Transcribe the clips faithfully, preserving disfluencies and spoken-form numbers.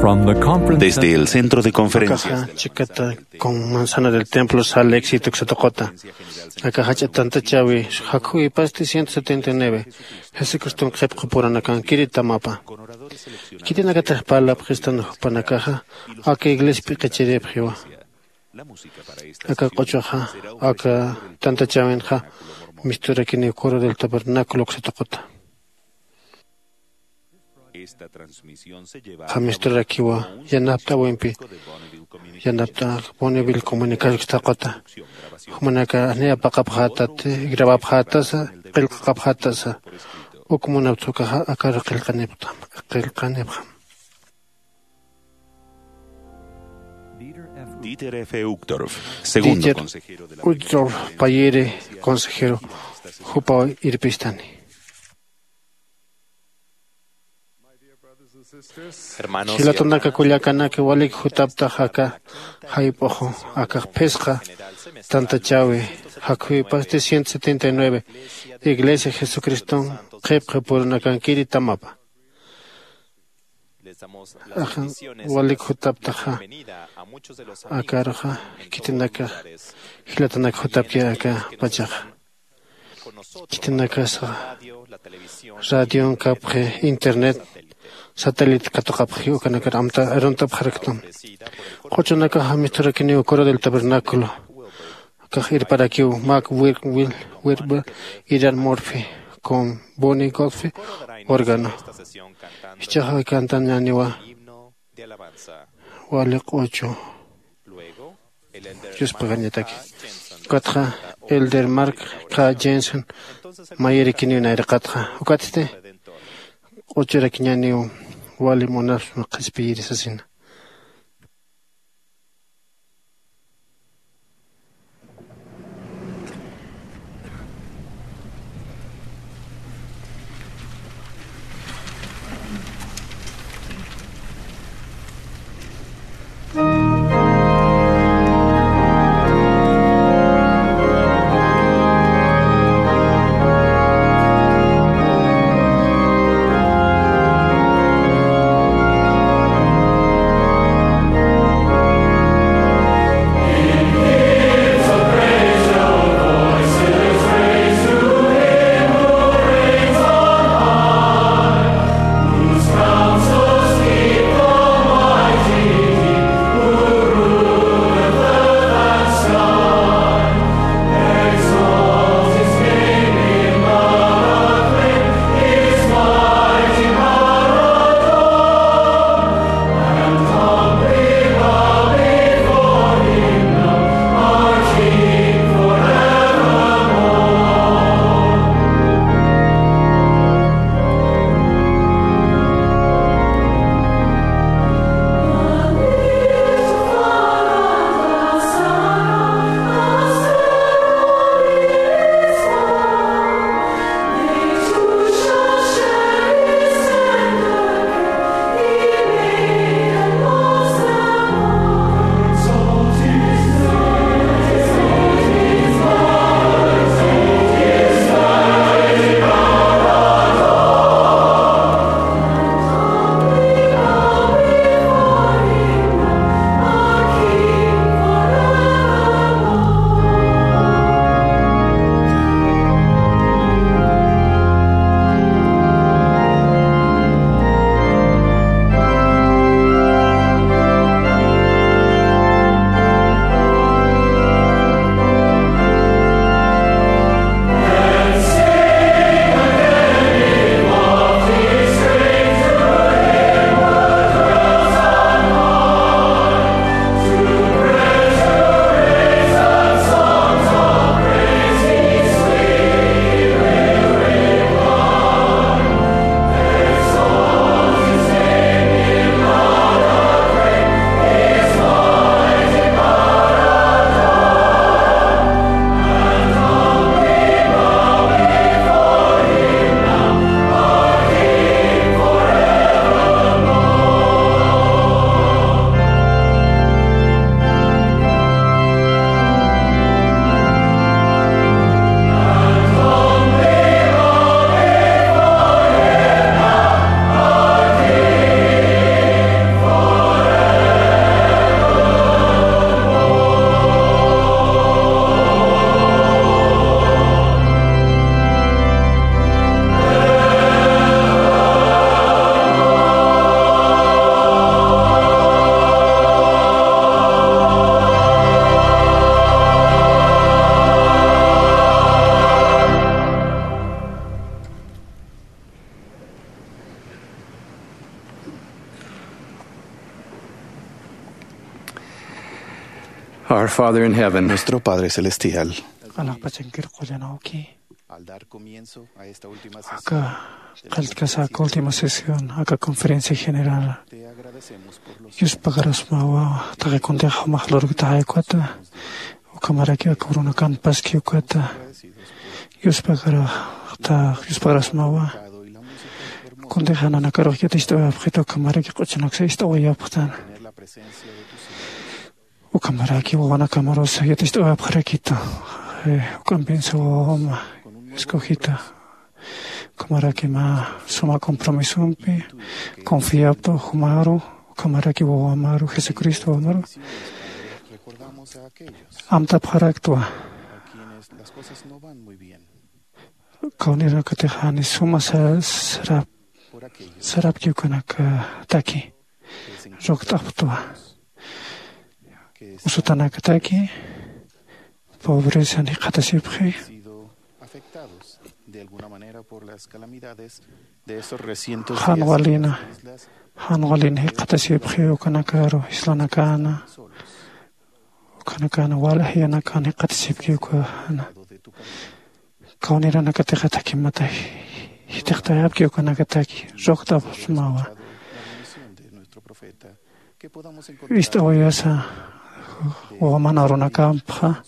Desde el centro de conferencias de la chikata con manzana del templo sal éxito ksatuqota. Aka jach'a tantachäwi jakhuwipasti ciento setenta y nueve. Jesucriston qhipqu puranakan kiritamapa. Khitinakatix parlapxistan jupanakaxa aka iglesia p'iqichiripxiwa. Aka q'uchuxa aka tantachäwinxa misturakiniw coro del tabernáculo ksatuqota. Jamisturarakiwa yanapt'äwimpi yanapt'a Bonneville comunicación ksatuqota. Jumanaka ni apaqapxätati grabapxätasa qillqaqapxätasa. Uk munapt'ukaxa akaru qillqanipxam qillqanipxam. Dieter F. Uchtdorf, segundo consejero de la Uchtdorf payiri consejero jupaw irpistani. Jilatanaka kullakanaka walik jutaptax aka jayp'uxu akax phisqa tantachäwi jakhuwipasti ciento setenta y nueve. Iglesia jesucriston qhipqi purunakankiri tamapa. Ajan walik jutaptaxa akaruxa khitinakax jilatanak jutapki aka pachaxa. Khitinakasaxa radion kapxi internet satélite katuqapxi ukanakar amta aruntapxaraktam. Q'uchunakaxa misturakiniw coro del tabernáculo. Kax irparakiw mac wilwil wirba iran morphy con boni godfe órgano. Jichaxa kantañaniwa wali q'uchu yuspagañataki. Ukatxa elder mark k jensen mayirikiniw nayraqatxa ukatsti q'uchurakiñaniw wali munasma qhispiyirisasina. Father in heaven. Nuestro Padre Celestial. Q'alaxpachankir qullanawki. Al dar comienzo a esta última sesión, aka qalltkasak última sesión aka conferencia general, te agradecemos por los, yuspagarasmawa taqi kuntix jumax lurktaxay ukata, ukhamaraki aka urunakan paski ukata, yuspagaraxta yuspagarasmawa. Kuntix nanakaruxkit ist'awayapxita, ukhamaraki q'uchunaksa ist'awayapxtan. Ukhamaraki wawanakamarusa yatist'awayapxarakitu, eh, uk'ampinsa wawama escogita. Ukhamaraki mä suma compromisompi confiaptu jumaru, ukhamaraki wawamaru, Jesucristo wawamaru amtapxaraktwa. Kawniranakatix jani suma sa-, sarap-, sarapki ukanakataki. Rukt'apxtwa. Usutanakataki pobrezan jikxatasipxi. Jan walina, jan walina jikxatasipxi ukanakaru islanakana. Ukhanakana wal jayanakan jikxatasipki ukana. Kawniranakatixa thakimata jithiqtayapki ukanakataki, rukt'apxsmawa. Ist'awayasa wawaman arunakampxa.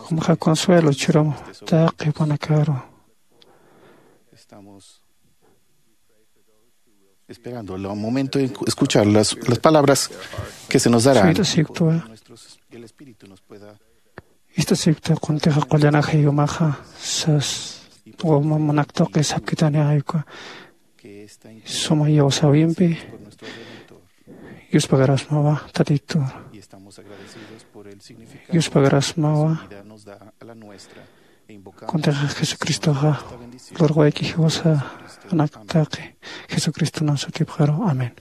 Jumxa consuelo churum taqi ukanakaru. Esperando el momento en escuchar las, las palabras que se nos darán. Suyt'asipktwa. Ist'asipkta kuntixa qullanaxay umaxa sas, wawamanak tuqi sapkitani ayku. Suma iyawsäwimpi yuspagarasmawa Tatitu. Yuspagarasmawa. Kuntixa Jesucristoxa lurwayki jiwasa anak taqi Jesucristonan sutipxaru. Amén.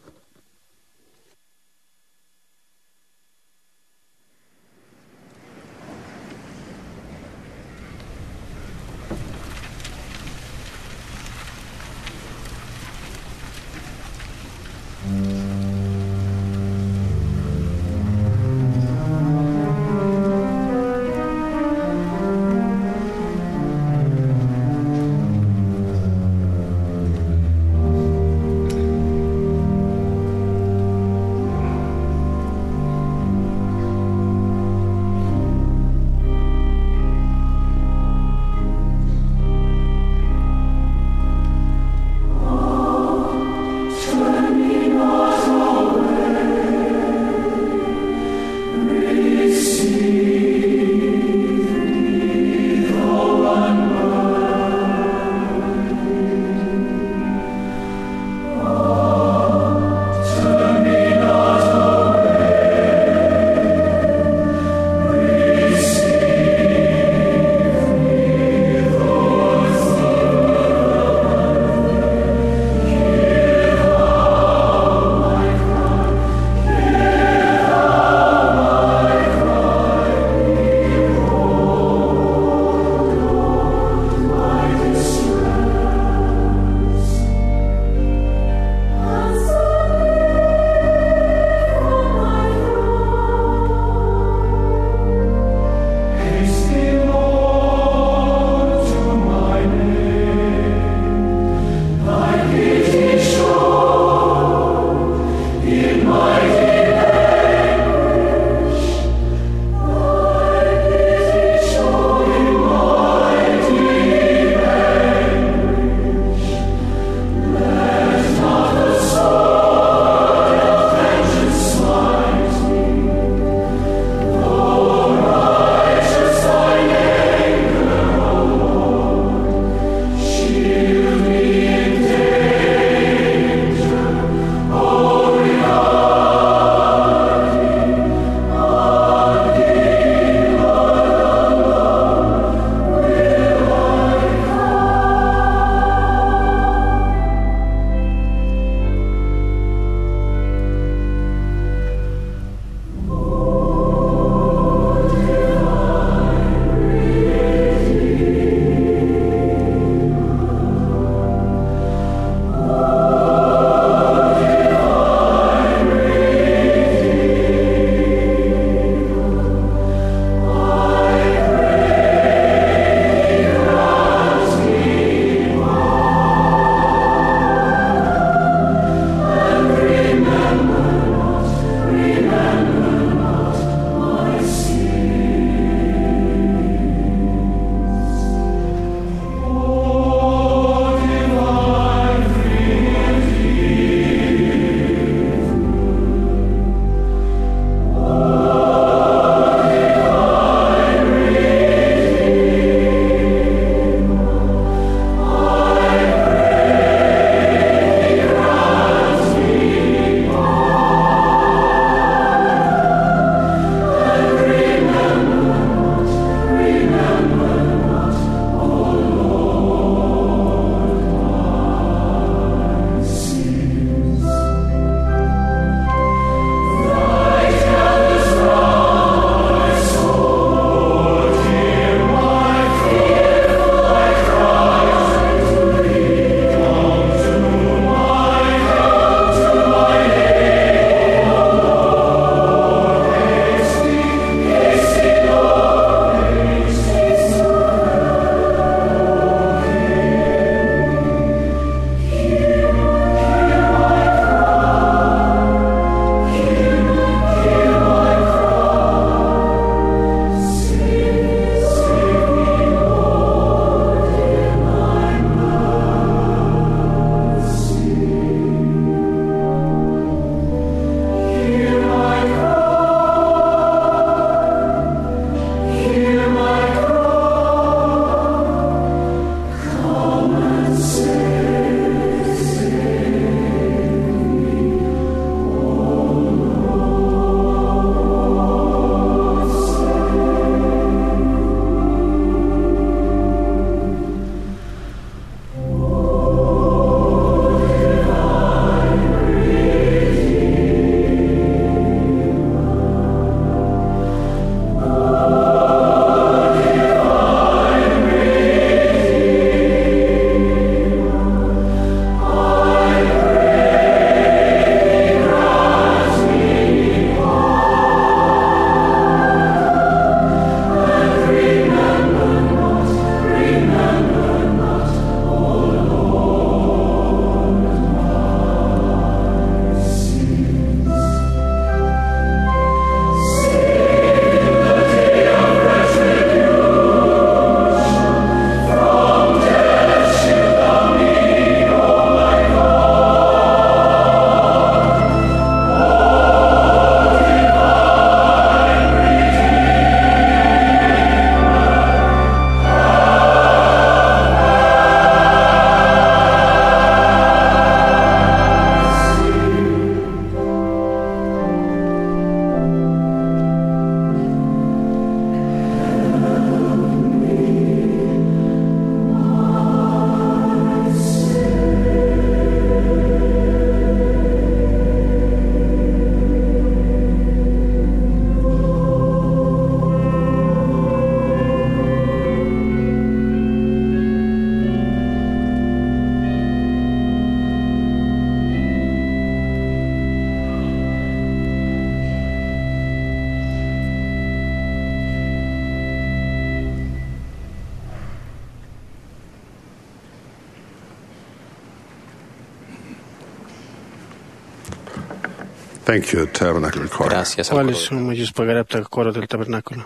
Thank you, Tabernacle Choir. Gracias al coro. Wali suma yuspagarapta coro del tabernáculo.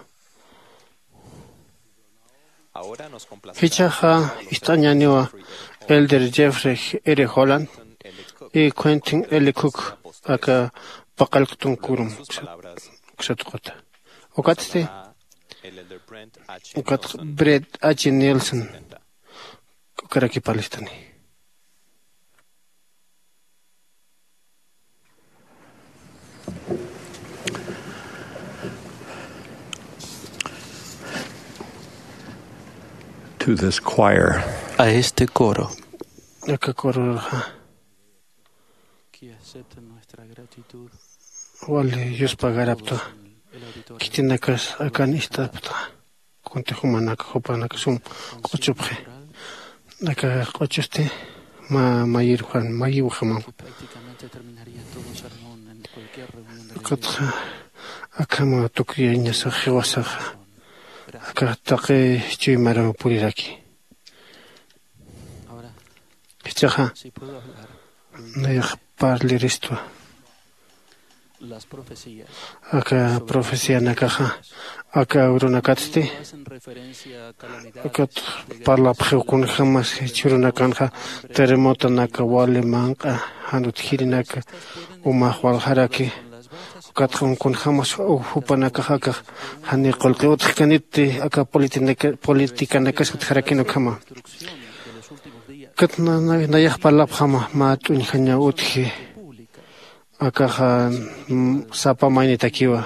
Ahora nos complace. Jichaxa ist'añaniwa Elder Jeffrey R. Holland y Quentin L. Cook aka paqallqtun kurum ksatuqata. Ukatsti ukat Brett H. Nielsen ukarakipalistani. To this choir. A este coro. Aka coro. Que acepten nuestra gratitud. Wali yuspagarapta. Khitinakas akan ist'apta. Kunti jumanak jupanak sum q'uchupxi. Aka q'uchusti mä mayir juan mayiw jamam. Ukatxa akhama tukriyañasax jiwasaxa aka taqi chuymaraw puriraki. Jichhaxa nayax parliristwa. Aka profecianakaxa aka urunakatsti ukat parlapxiw kunjämas jichhürunakanxa terremotonaka wali manq'a jan utjirinaka umax waljaraki. Ukatxa kunjämas jupanakax akax janiw qullqi utjkanitti aka politikanakax utjarakini ukhama. Ukat nayax parlapxama mä t'uñjañaw utji. Akaxa sapa maynitakiwa.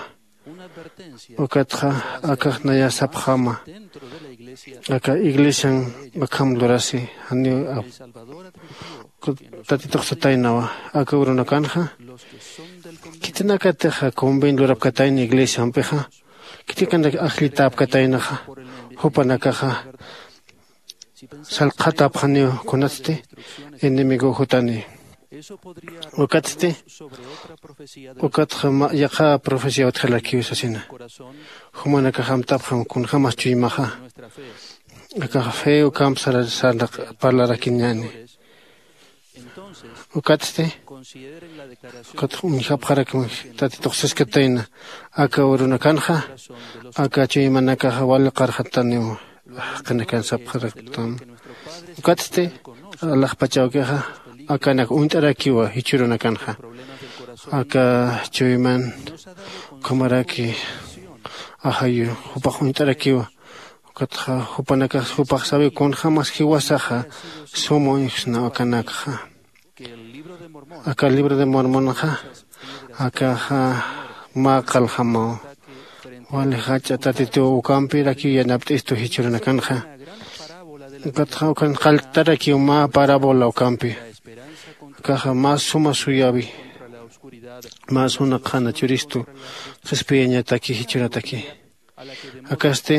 Ukatxa akax nayax sapxama aka iglesian akham lurasi janiw tatitux sataynawa. Aka urunakanxa khitinakatixa conven lurapkatayna iglesiampixa khitinakanaka ajllitäpkataynaxa jupanakaxa salqhatapxaniw kunatsti enemigo jutani. Ukatsti ukatxa yaqha profecía utjalakiw sasina. Jumanakax amtapxam kunjämas chuymaxa akax fe ukamp sarnaq parlarakiñäni. Ukatsti ukat uñjapxarakma tatitux siskatayna aka urunakanxa aka chuymanakaxa wali qarxataniw. Jaqinakan sapxaraktam ukatsti alaxpachawkixa akanak uñt'arakiwa jichhürunakanxa aka chuyman ukhamaraki ajayu jupax uñt'arakiwa. Ukatxa jupanakax jupax sawi kunjämas jiwasaxa suma uñjsna akanakxa. Aka libro de mormonxa akaxa mä qaljamaw wali jach'a tatituw ukampirakiw yanapt'istu jichhürunakanxa. Ukatxa ukan qalltarakiw mä parábola ukampi akaxa mä suma suyäwi mä suna qhana churistu qhispiyañataki jichhürataki. Akasti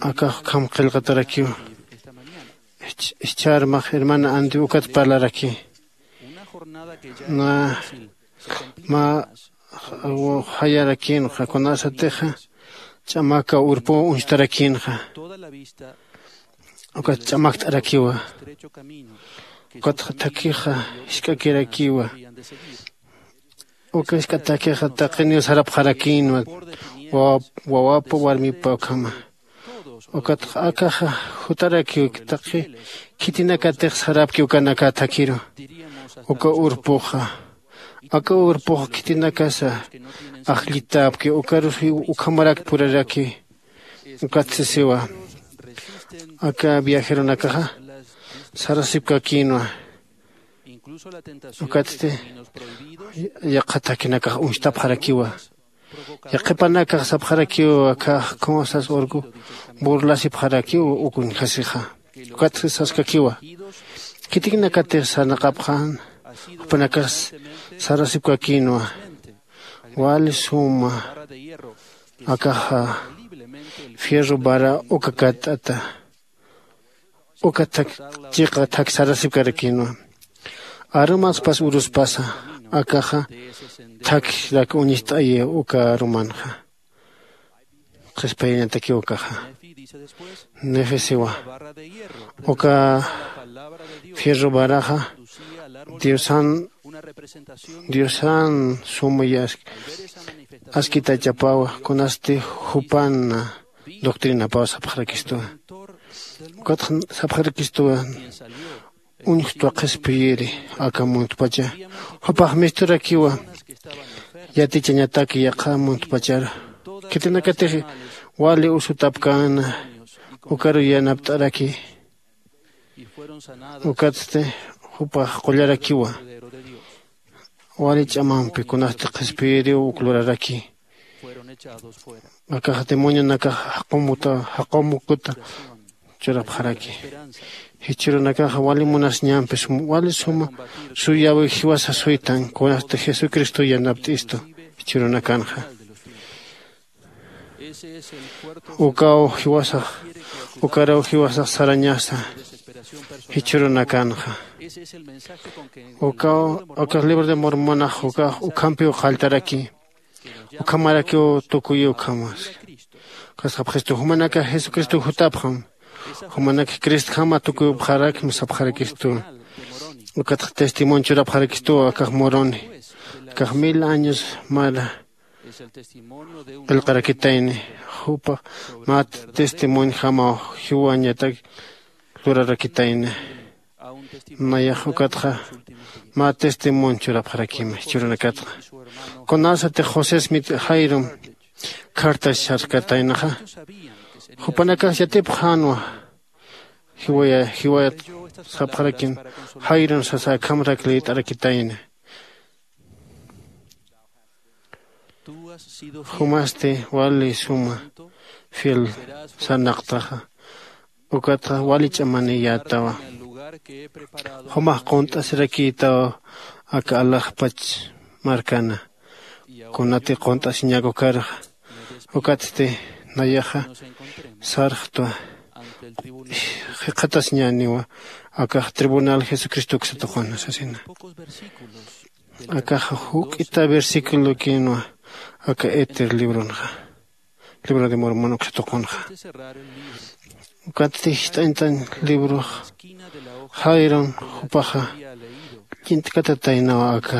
akax ukham qillqatarakiw. Ischharmax hermana andi ukat parlaraki na mä jayarakinxa kunasatixa ch'amaka urpu uñstarakïnxa. Ukat ch'amakt'arakiwa ukatxa thakixa jisk'akirakiwa. Uka jisk'atakixa taqiniw sarapxarakïnwa wawapa warmipa ukhama. Ukatxa akaxa jutarakiw taqi khitinakatix sarapki ukanaka thakiru. Uka urpuxa aka urpux khitinakasa ajllitäpki ukarus ukhamarak puraraki. Ukat sisiwa aka viajeronakaxa sarasipkakïnwa. Ukatsti yaqha thakinakax uñstapxarakiwa. Yaqhipanakax sapxarakiw akax khawasas urku burlasipxarakiw uk uñjasixa. Ukatsti saskakiwa khitinakatix sarnaqapxän jupanakax sarasipkakïnwa. Wali suma akaxa fierro vara uka katt'ata uka thak chiqa thak sarasipkarakïnwa. Arumaspas uruspasa akaxa thakrak uñist'ayi uka arumanxa. Qhispayañatakiw ukaxa nefesiwa uka fierro varaxa diosan Diosan suma askitachapawa kunasti jupan doctrinapaw sapxarakistuwa. Ukatxa sapxarakistuwa uñjtwa qhispiyiri aka muntpacha jupax misturakiwa yatichañataki yaqha muntpacharu khitinakatix wali usutapkäna ukaru yanapt'araki. Ukatsti jupax qullarakiwa wali ch'amampi kunasti qhispiyiriw uk luraraki. Akax demonionakax jaqumuta jaqumukuta churapxaraki. Jichhürunakaxa wali munasiñampi wali suma suyäwi jiwasa suytan kunasti jesucristo yanapt'istu. Jichhürunakanxa ukaw jiwasax ukaraw jiwasax sarañasa. Jichhürunakanxa ukaw akax libro de mormonax ukax ukhampiw qalltaraki. Ukhamarakiw tukuyi ukhamas. Kasqapxistu jumanakax jesucristo jutapxam. Jumanakax cristjama tukuyupxarakma sapxarakistuwa. Ukatxa testimonio churapxarakistuwa akax moroni akax mil años mara qillqarakitayni. Jupax mä testimonjamaw jiwañatak lurarakitayni. Nayax ukatxa mä testimonio churapxarakima jichhürunakatxa. Kunasatix josé smit jairum cartas sarkataynaxa jupanakax yatipxänwa. Jiwaya jiwayat sapxarakin jairun sasa akhamarak liyt'arakitayna. Jumasti wali suma fiel sarnaqtaxa ukatxa wali ch'amaniyätawa. Jumax qunt'asirakïtawa aka alaxpach markana kunati qunt'asiñak ukarxa. Ukatsti nayaxa sarxtwa jikxatasiñäniwa akax tribunal jesucristo uksa tuquna sasina. Akaxa juk'ita versiculokinwa aka éter libronxa libro de mormon uksa tuqunxa. Ukatsti jist'añtan librox jairon jupaxa llint'katataynawa aka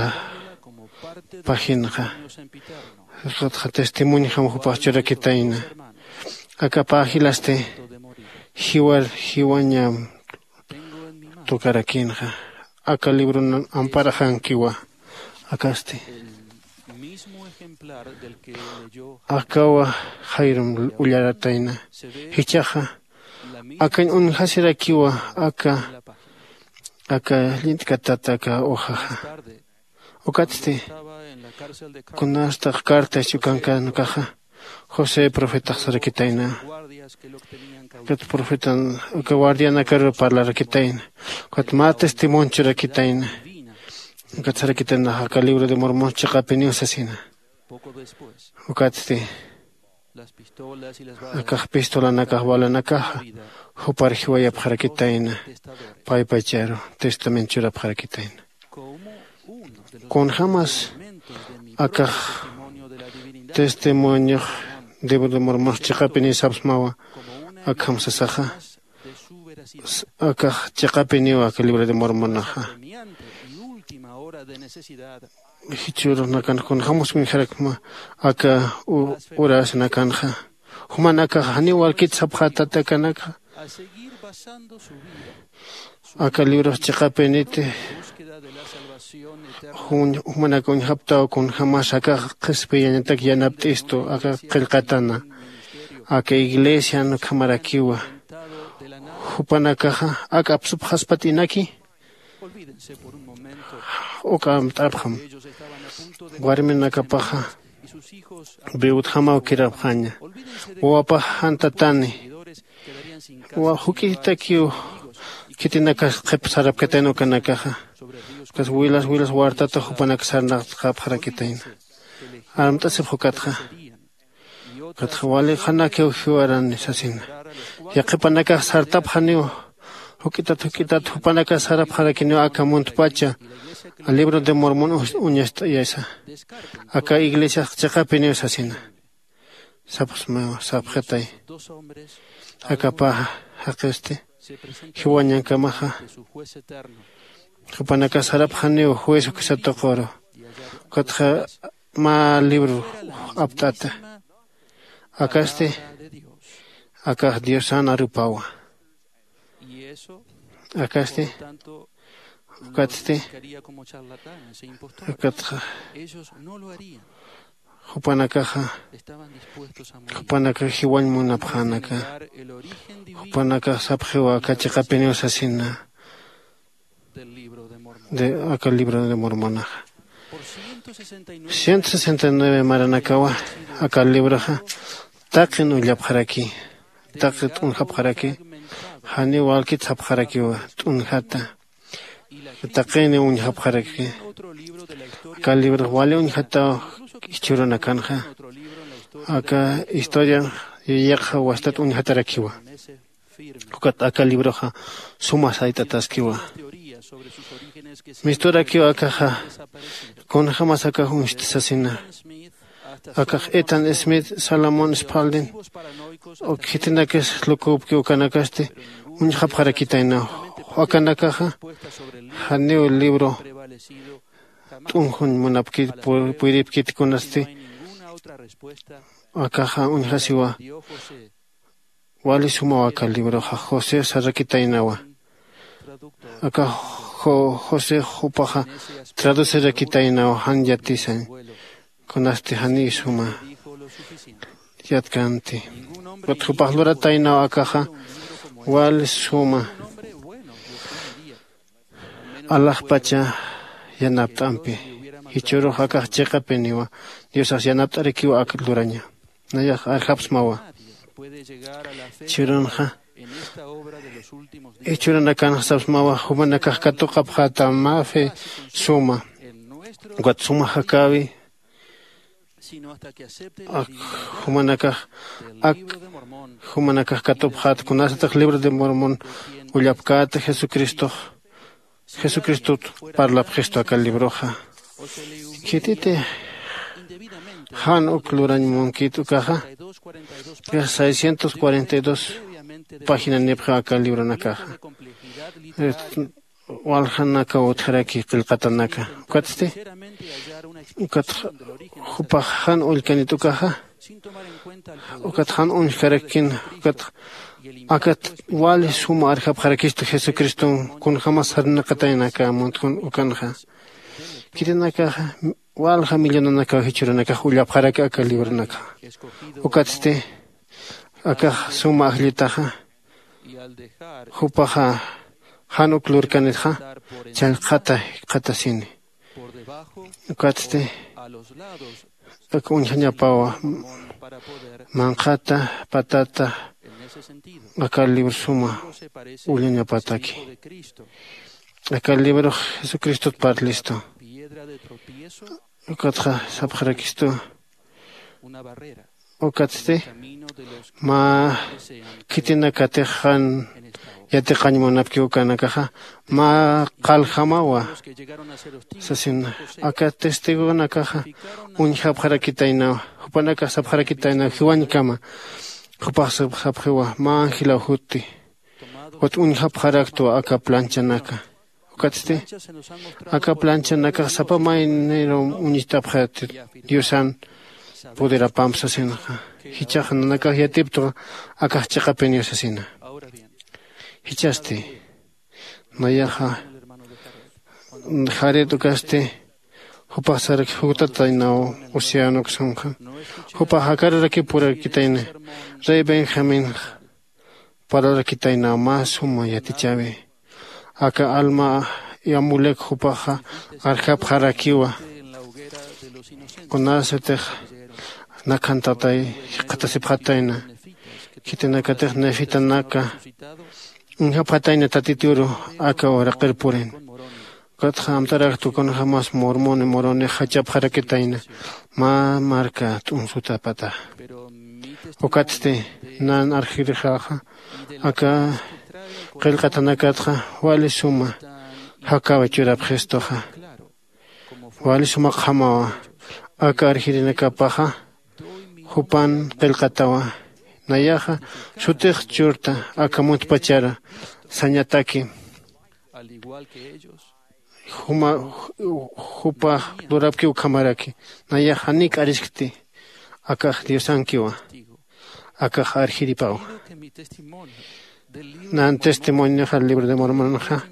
pajinxa. Jikxatxa testimonjam jupax churakitayna. Aka pajilasti jiwar jiwañam tukarakinxa aka libronan amparaxankiwa. Akasti akawa jairum ullaratayna. Jichhaxa akañ uñjasirakiwa aka aka llint'katata aka uxaxa. Ukatsti kunasta carta chukankan ukaxa josé profetax sarakitayna. Ukat profetan uka guardianakaru parlarakitayna. Ukat mä testimonio churakitayna. Ukat sarakitaynaxa aka libro de mormon chiqapiniw sasina. Ukatsti akax pistolanakax balanakaxa jupar jiwayapxarakitayna. Paypacharu testamento churapxarakitayna. Kunjämas akax testimoniox libro de mormon chiqapiniw sapsmawa. Akham sasaxa akax chiqapiniw aka libro de mormonaxa. Jichhürunakan kunjämas uñjarakma aka urasnakanxa. Jumanakax janiw walkit sapxätatakanakxa aka librox chiqapiniti jumanak uñjaptaw kunjämas akax qhispiyañatak yanapt'istu aka qillqatana aka iglesian ukhamarakiwa. Jupanakaxa ak apsupxaspat inaki uka amt'apxam. Warminakapaxa viudjamaw kirapxaña. Wawapax jantatani juk'itakiw khitinakas qhip sarapkatayna ukanakaxa. Ukas wilas wilas wartata jupanak sarnaqtqapxarakitayna. Amt'asipx ukatxa. Ukatxa wali qhanakiw jiwarani sasina. Yaqhipanakax sartapxaniw juk'itat juk'itat jupanakax sarapxarakiniw aka muntpacha libro de mormon uñast'ayasa. Aka iglesiax chiqapiniw sasina. Sapxsmaw sapxitay. Aka paja jaqisti jiwañankamaxa Jupanakax sarapxaniw juez uksa tuquru. Ukatxa mä libro apt'ata. Akasti akax diosan arupawa. Akasti ukatsti ukatxa jupanakaxa jupanakax jiwañ munapxänaka. Jupanakax sapxiwa aka chiqapiniw sasina de aka libro de mormonaxa. Ciento sesenta y nueve maranakawa aka libroxa taqin ullapxaraki. Taqi t'unjapxaraki. Janiw walkit sapxarakiwa t'unjata. Taqini uñjapxaraki. Aka librox wali uñjataw jichhürunakanxa. Aka historia yaqxa wastat uñjatarakiwa. Ukat aka libroxa suma sayt'ataskiwa. Misturakiw akaxa kunjämas akax uñsti sasina. Akax ethan smith, salomón spaldin, uk khitinakis luküpki ukanakasti uñjapxarakitaynaw. Akanakaxa janiw libro t'unjuñ munapkit puyripkit kunasti. Akaxa uñjasiwa. Wali sumaw aka libroxa josé sarakitaynawa. Aka josé jupaxa traducirakitaynaw jan yatisañ. Kunasti janiy suma yatkanti. Ukat jupax lurataynaw akaxa wali suma alaxpacha yanapt'ampi. Jichhürux akax chiqapiniwa diosax yanapt'arakiwa ak luraña. Nayax arjapsmawa. Jichhürunxa jichhürunakanxa sapsmawa jumanakax katuqapxäta mä fe suma. Ukat suma jakäwi ak jumanakax ak jumanakax katupxät kunasatix libro de mormon ullapkäta jesucristox jesucristot parlapxistu aka libroxa. Khititi jan uk lurañ munkit ukaxa seiscientos cuarenta y dos página nipxi aka libronakaxa. Waljanakaw utjaraki qillqatanaka ukatsti ukat jupax jan ullkanit ukaxa ukat jan uñjkarakin ukat akat wali suma arjapxarakistu jesucriston kunjämas sarnaqataynaka muntjun ukanxa. Khitinakaxa walja millonanakaw jichhürunakax ullapxaraki aka libronakxa. Ukatsti akax suma ajllitaxa jupaxa jan uk lurkanitxa challqata jikxatasini. Ukatsti aka uñjañapawa manqhata patata aka libro suma ullañapataki. Aka librox jesucristot parlistu. Ukatxa sapxarakistu ukatsti mä khitinakatix jan yatiqañ munapki ukanakaxa mä qaljamawa. Sasina aka testigonakaxa uñjapxarakitaynaw jupanakax sapxarakitaynaw jiwañkama. Jupax sapxiwa mä angelaw jutti. Ukat uñjapxaraktwa aka planchanaka. Ukatsti aka planchanakax sapa maynirum uñst'apxäti diosan poderapamp sasinxa. Jichhax nanakax yatiptwa akax chiqapiniw sasina. Jichhasti nayaxa jaret ukasti jupax sarak jutataynaw océano uksanxa. Jupax jakararakipurakitayna rey benjaminxa parlarakitaynaw mä suma yatichäwi. Aka alma amulek jupaxa arjapxarakiwa kunasatix nakhantatay jikxatasipxatayna. Khitinakatix nefitanaka uñjapxatayna tatituru aka uraqir purin. Ukatxa amt'araktu kunjämas mormoni moronix jachapxarakitayna mä marka t'unsutapata. Ukatsti nan arjirixaxa aka qillqatanakatxa wali suma jakawi churapxistuxa. Wali sumaqjamawa aka arjirinakapaxa jupan qillqatawa. Nayaxa sutix churta aka muntpachara sañataki. Al igual que ellos, juma jupa lurapki ukhamaraki. Nayax janik'ariskti. Akax diosankiwa. Akax arjiripawa. Nan testimonioxa libro de mormonxa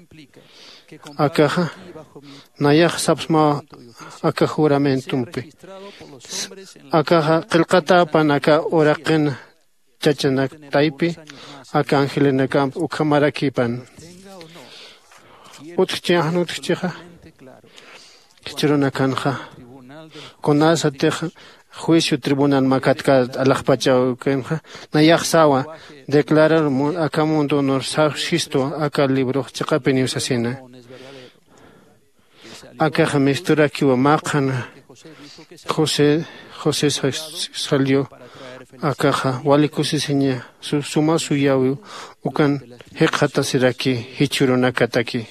akaxa nayax sapsmawa. Aka juramentumpi akaxa qillqatäpan aka uraqin chachanak taypi aka angelinakamp ukhamarakipan. Utjchi anutjchixa jichhürunakanxa kunasatix juicio tribunal makatkat alaxpachawkanxa nayaxsawa declarar aka mundunur sawsistwa aka librox chiqapiniw sasina. Akaxa misturakiwa maqan josé josé salió. Akaxa wali kusisiña suma suyäwiw ukan jikxatasiraki jichhürunakataki.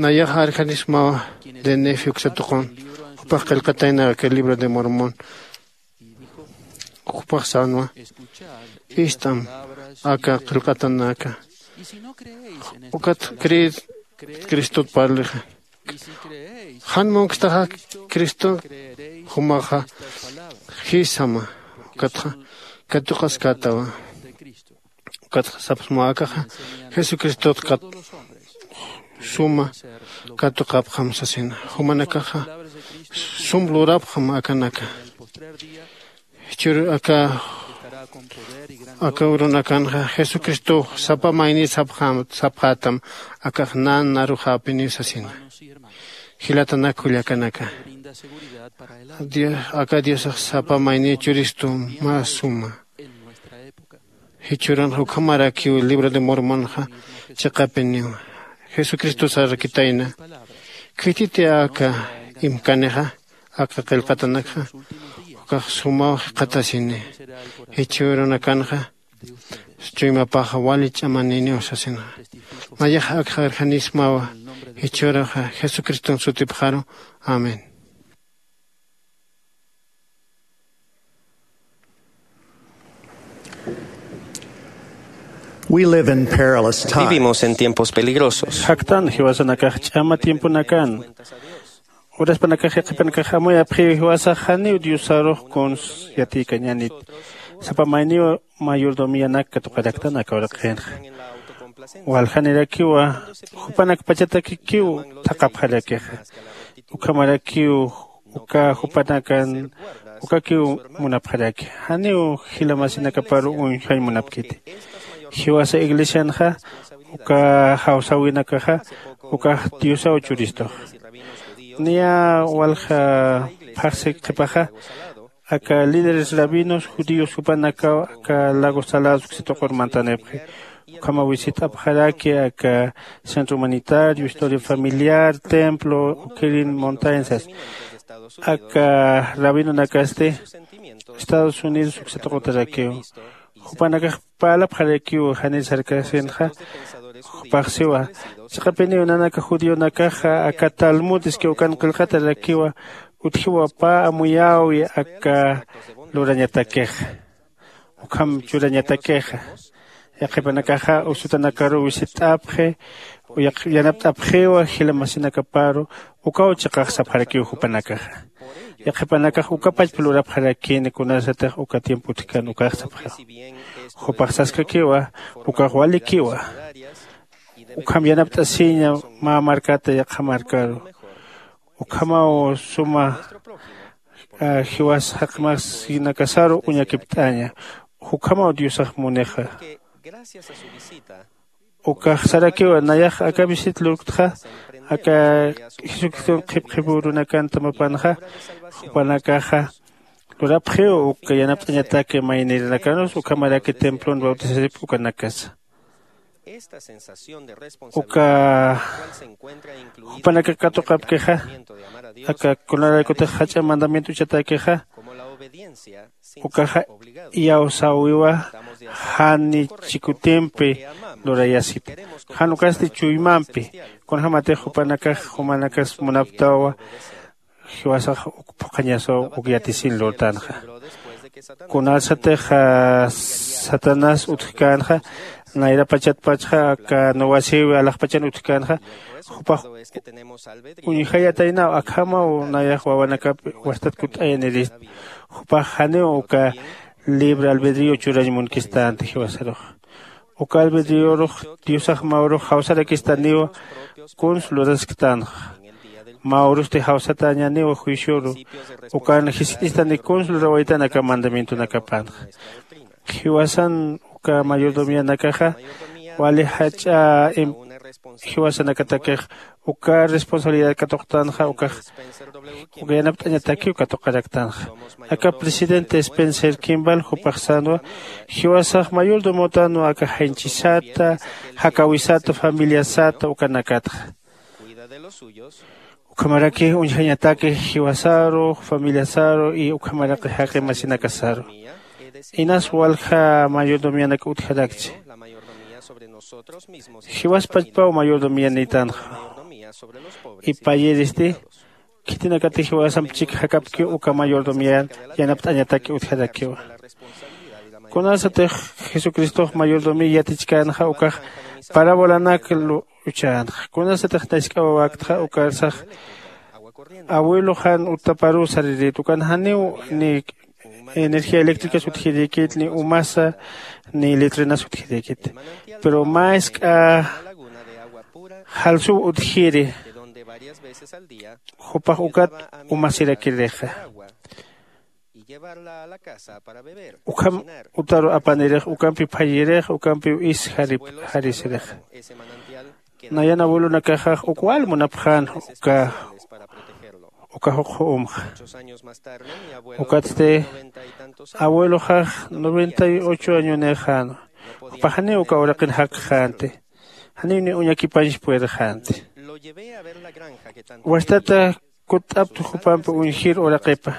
Nayaxa arjanismawa de nefi uksatuqun jupax qillqatayna aka libro de mormón. Jupax sänwa ist'am aka qillqatanaka. Ukat creer cristot parlixa jan munkstaxa cristo jumaxa jisama. Ukatxa katuqaskätawa. Ukatxa sapsmawa akaxa jesucristot kat suma katuqapxam sasina. Jumanakaxa sum lurapxam akanaka. Jichhür aka aka urunakanxa jesucristow sapa mayni sapxätam. Akax nan narujäpiniw sasina. Jilatanak kullakanaka aka diosax sapa mayni churistu mä suma. Jichhürunxa ukhamarakiw libro de mormonxa chiqapiniw jesucristosarakitayna. Khititi aka imkanixa aka qillqatanakxa ukax sumaw jikxatasini. Jichhürunakanxa chuymapaxa wali ch'amaniniw sasinxa. Nayax akxa arjanismawa jichhüruxa jesucriston sutipxaru. Amén. We live in perilous times. Vivimos en tiempos peligrosos. Jaktan jiwasanakax ch'ama tiemponakan. Uraspanakax yaqhipanakax amuyapxiw jiwasax janiw diosarux kuns yatiykañanit. Sapa mayniw mayordomianak katuqaraktan aka uraqinxa. Waljanirakiwa jupanakpachatakikiw thaqhapxarakixa. Ukhamarakiw uka jupanakan ukakiw munapxaraki. Janiw jilamasinakaparu uñjañ munapkiti. Jiwasa iglesianxa uka jawsäwinakaxa ukax diosaw churistux. Niya walja phaxsi qhipaxa aka líderes rabinos judíos jupanakaw aka lago salados uksituqur mantanipxi. Ukhama wisit'apxaraki aka centro humanitario historia familiar templo ukirin montañas. Aka rabinonakasti estados unidos uksituqutarakiw jupanakax parlapxarakiw jani sarkasinxa. Jupaxsiwa chiqapiniw nanaka judionakaxa aka talmud iski ukan qillqatarakiwa utjiwa pä amuyäwi aka lurañatakixa. Ukham churañatakixa yaqhipanakaxa usutanakaruw wisit'apxi. Yanapt'apxiwa jila masinakaparu ukaw chiqax sapxarakiw jupanakaxa. Yaqhipanakax ukapachpa lurapxarakini kunasatix uka tiempo utjkan ukax sapxiwa. Jupax saskakiwa ukax walikiwa. Ukham yanapt'asiña mä markata yaqha markaru. Ukhamaw suma jiwas jaqmasinakasaru uñakipt'aña. Ukhamaw diosax munixa. Ukax sarakiwa nayax aka visit lurktxa aka jesucriston qhipqhipürunakan tamapanxa jupanakaxa lurapxiw uka yanapt'añataki maynirinakanus ukhamaraki templon bautisasip ukanakasa. Uka jupanaka katuqapkixa aka kunaraykutix jach'a mandamiento uchatakixa ukaxa iyawsäwiwa jan chikutimpi lurayasita. Jan ukasti chuymampi kunjämatix jupanakax jumanakas munaptawa jiwasax uk phuqhañasaw uk yatisin lurtanxa. Kunasatix satanás utjkänxa, nayrapachatpachxa aka nuwasiwi alaxpachan utjkänxa, jupax uñjayataynaw akhamaw nayax wawanakap wastat kutt'ayanirist. Jupax janiw uka libre albedrío churañ munkistänti jiwasarux. Uka albedriorux diosax mä urux jawsarakistaniwa kuns lurasktanxa. Mä urusti jawsatäñaniwa juicioru. Ukan jiskt'istani kuns lurawaytan aka mandamientonakapanxa. Jiwasan uka mayordomianakaxa wali jach'a jiwasanakatakix uka responsabilidad katuqtanxa ukax uka yanapt'añatakiw katuqaraktanxa. Aka presidente spencer kimball jupax sänwa jiwasax mayordomotanwa aka jañchisata, jakawisata, familiasata ukanakatxa. Ukhamaraki uñjañataki jiwasaru, familiasaru y ukhamaraki jaqimasinakasaru. Inas walja mayordomianak utjarakchi. Jiwas pachpaw mayordomianïtanxa. Ipayiristi khitinakatix jiwasamp chik jakapkiw uka mayordomian yanapt'añataki utjarakiwa. Kunasatix jesucristox mayordomi yatichkänxa ukax parabolanak uchänxa. Kunasatix nask'awawaktxa ukarsax abueloxan uttaparuw saririt ukan janiw ni energía eléctricas utjirïkit ni umasa ni litrinas utjirïkit. Pero mä isk'a jalsuw utjiri jupax ukat umasirakirixa. Ukham utaru apanirix ukampiw phayirix ukampiw is jarisirix. Nayan abuelonakaxax uk wal munapxän uka uka juqju umxa. Ukatsti abueloxax noventa y ocho añonïxän. Jupax janiw uka uraqin jakxänti. Janiw ni uñakipañs puerxänti. Wastata kutt'aptu jupampi uñjir uraqipa.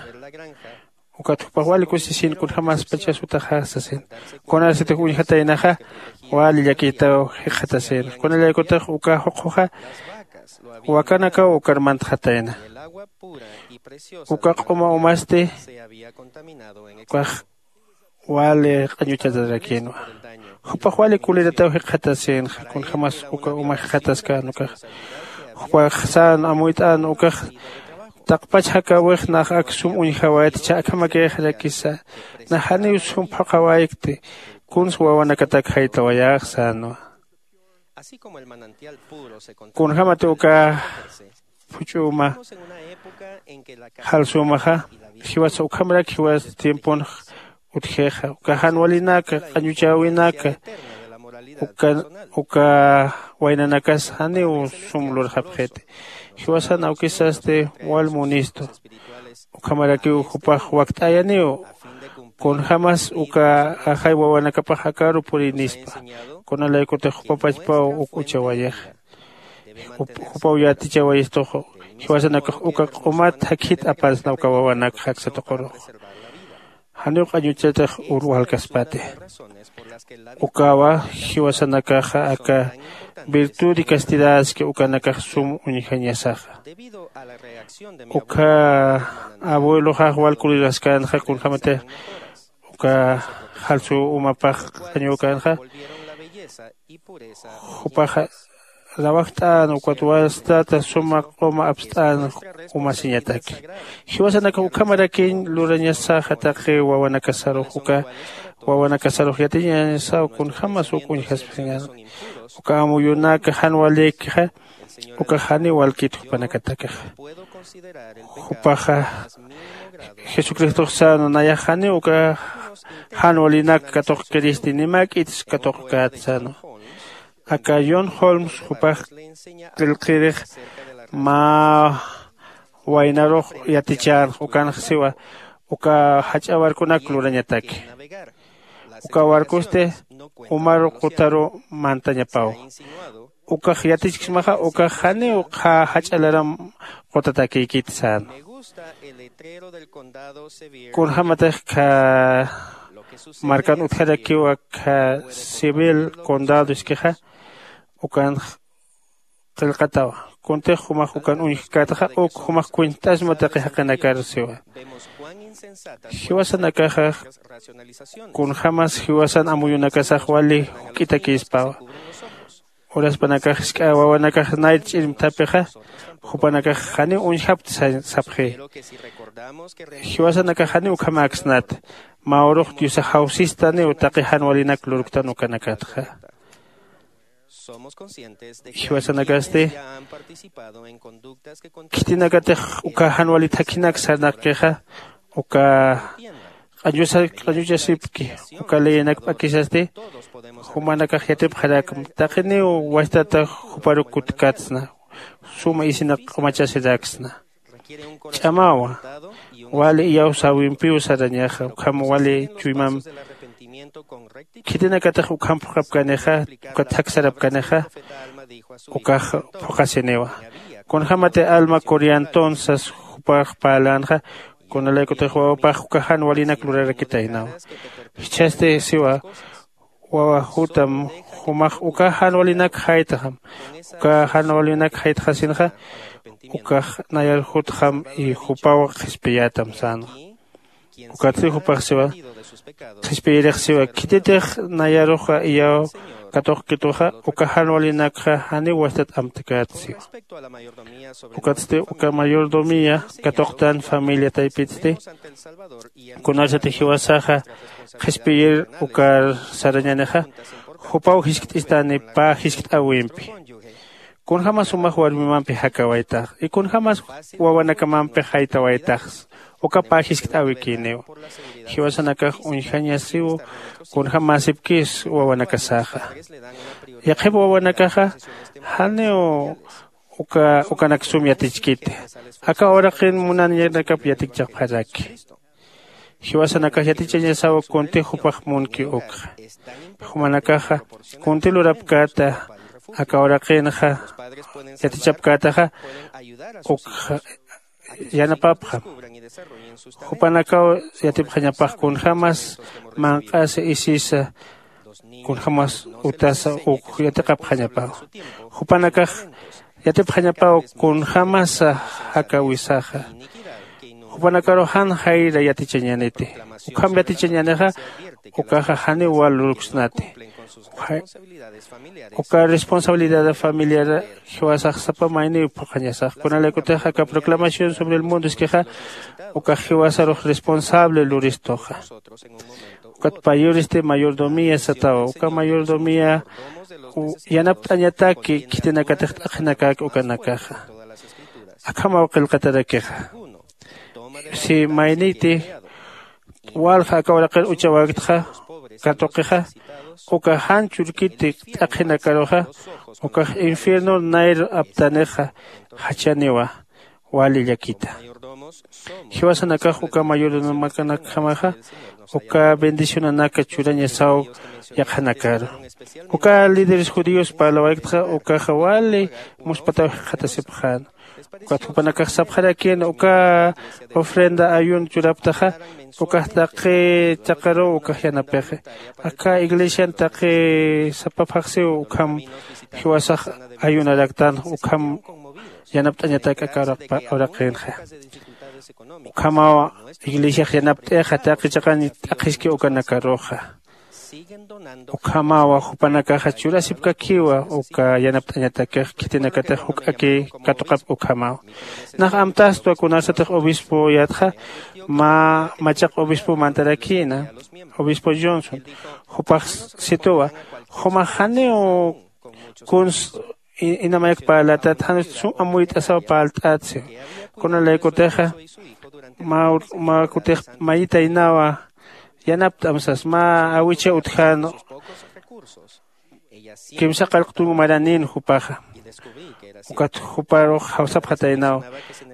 Ukat jupax wali kusisin kunjämaspachas utaxax sasin. Kunasatix uñjataynaxa wali llakitaw jikxatasin. Kunalaykutix uka juqjuxa wakanakaw ukar mantxatayna. Uka q'uma umasti ukax wali q'añuchatarakïnwa. Jupax wali kulirataw jikxatasinxa kunjämas uka uma jikxataskän ukax. Jupax sän amuyt'än ukax taqpach jakäwix nax ak sum uñjawaytcha akhamakïxarakisa. Nax janiw sum phuqhawaykti. Kuns wawanakatak jaytawayäx sänwa. Kunjämati uka phuch'uma jalsumaxa jiwasa ukhamarak jiwas tiemponx utjixa uka jan walinaka q'añuchäwinaka uka uka waynanakas janiw sum lurxapxiti. Jiwasan awkisasti wal munistu ukhamarakiw jupax wakt'ayaniw kunjämas uka ajay wawanakapax akaru purinispa. Kunalaykutix jupapachpaw uk uchawayixa. Jupaw yatichawayistux jiwasanakax uka q'umat jakhit apansna uka wawanak jaksa tuqurux. Janiw q'añuchatix ur walkaspati. Ukawa jiwasanakaxa aka virtud y castidad ski ukanakax sum uñjañasaxa. Ukha abueloxax wal kuliraskänxa kunjämatix uka jalsu umapax q'añuwkänxa. Jupaxa rawajt'än ukat wastata suma q'uma apst'än umasiñataki. Jiwasanakax ukhamarakiñ lurañasaxa taqi wawanakasarux uka wawanakasarux yatiñañasaw kunjämas uk uñjaspasiñän. Uka amuyunaka jan walïkixa ukax janiw walkit jupanakatakaxa. Jupaxa jesucristox sänwa nayax janiw uka jan walinak katuqkiristi nimäk'its katuqkät sänwa. Aka john holmes jupax qillqirix mä waynarux yatichänx ukanx siwa uka jach'a barconak lurañataki. Uka barcosti umaru qutaru mantañapaw. Ukax yatichksmaxa ukax janiw qha jach'a laram qutatakïkit sän. Kunjämatix kha markan utjarakiw aka civil condado iskixa ukanx qillqatawa. Kuntix jumax ukan uñjkätxa uk jumax kuent'asma taqi jaqinakar siwa. Jiwasanakaxa kunjämas jiwasan amuyunakasax wali juk'itakïspawa. Uraspanakax jisk'a wawanakax nayt ch'irmthapixa jupanakax janiw uñjapkti sapxi. Jiwasanakax janiw ukhamäksnat. Mä urux diosax jawsistaniw taqi jan walinak lurktan ukanakatxa. Jiwasanakasti khitinakatix uka jan wali thakhinak sarnaqkixa uka q'añuchasipki uka leyenak p'akisasti. Jumanakax yatipxarakma taqiniw wastata juparuk kutkatsna suma isinak q'umachasiraksna. Ch'amawa wali iyawsäwimpiw sarañaxa ukham wali chuymam khitinakatix ukham phuqhapkanixa uka thaksarapkanixa ukax phuqhasiniwa. Kunjämati alma coriantonsas jupax parlänxa kunalaykutix wawapax uka jan walinak lurarakitaynawa. Jichhasti siwa wawa jutam jumax uka jan walinak jaytxam. Uka jan walinak jaytxasinxa ukax nayar jutxam y jupaw qhispiyätam sänxa. Ukatsti jupax siwa qhispiyirix siwa khititix nayaruxa iyaw katuqkituxa uka jan walinakxa janiw wastat amtkäta siwa. Ukatsti uka mayordomía katuqtan familia taypitsti kunarsati jiwasaxa qhispiyir ukar sarañänixa jupaw jiskt'istani pä jiskt'äwimpi. Kunjämas jumax warmimampi jakawaytax y kunjämas wawanakamampi jaytawaytaxsa uka pä jiskt'äwikïniw. Jiwasanakax uñjañasiw kunjämäsipkis wawanakasaxa. Yaqhip wawanakaxa janiw uka ukanak sum yatichkiti. Aka uraqin munaniñanakap yatikchapxaraki. Jiwasanakax yatichañasaw kuntix jupax munki ukxa. Jumanakaxa kunti lurapkäta aka uraqinxa yatichapkätaxa ukxa yanapapxam. Jupanakaw yatipxañapax kunjämas manq'asa isisa kunjämas utasa uk yatiqapxañapaw. Jupanakax yatipxañapaw kunjämasa jakawisaxa. Jupanakarux jan jayra yatichañäniti. Ukham yatichañänixa ukaxa janiw wal lurksnati. Uka responsabilidad familiar jiwasax sapa mayniw phuqhañasax kunalaykutix aka proclamación sobre el mundo iskixa ukax jiwasarux responsable luristuxa. Ukat payuristi mayordomía satawa uka mayordomía yanapt'añataki khitinakatix t'aqhinakäki ukanakaxa. Akhamaw qillqatarakixa si mayniti walja aka uraqir uchawäktxa katuqixa uka jan churkiti t'aqhinakaruxa ukax infierno nayr aptanixa jachaniwa. Wali llakita jiwasanakax uka mayordomakanakjamaxa uka bendicionanaka churañasaw yaqhanakaru. Uka líderes judíos parlawayktxa ukaxa wali muspataw jikxatasipxäna. Ukat jupanakax sapxarakïna uka ofrenda ayuno churaptaxa ukax taqi chaqaruw ukax yanapixi. Aka iglesian taqi sapa phaxsiw ukham jiwasax ayunaraktan ukham yanapt'añatak aka uraqinxa. Ukhamaw iglesiax yanapt'ixa taqi chaqañ t'aqhiski ukanakaruxa. Ukhamawa jupanakaxa churasipkakiwa uka yanapt'añatakix khitinakatix juk'aki katuqapki ukhamawa. Nax amtastwa kunarsatix obispoyätxa mä machaq obispo mantarakïna obispo johnson. Jupax situwa jumax janiw kuns inamayak parlatat jan sum amuyt'asaw parlt'atsi. Kunalaykutixa mä kutix mayitaynawa yanapt'am sas mä awicha utjän kimsa qallq tunka maranïn jupaxa. Ukat juparux jawsapxataynaw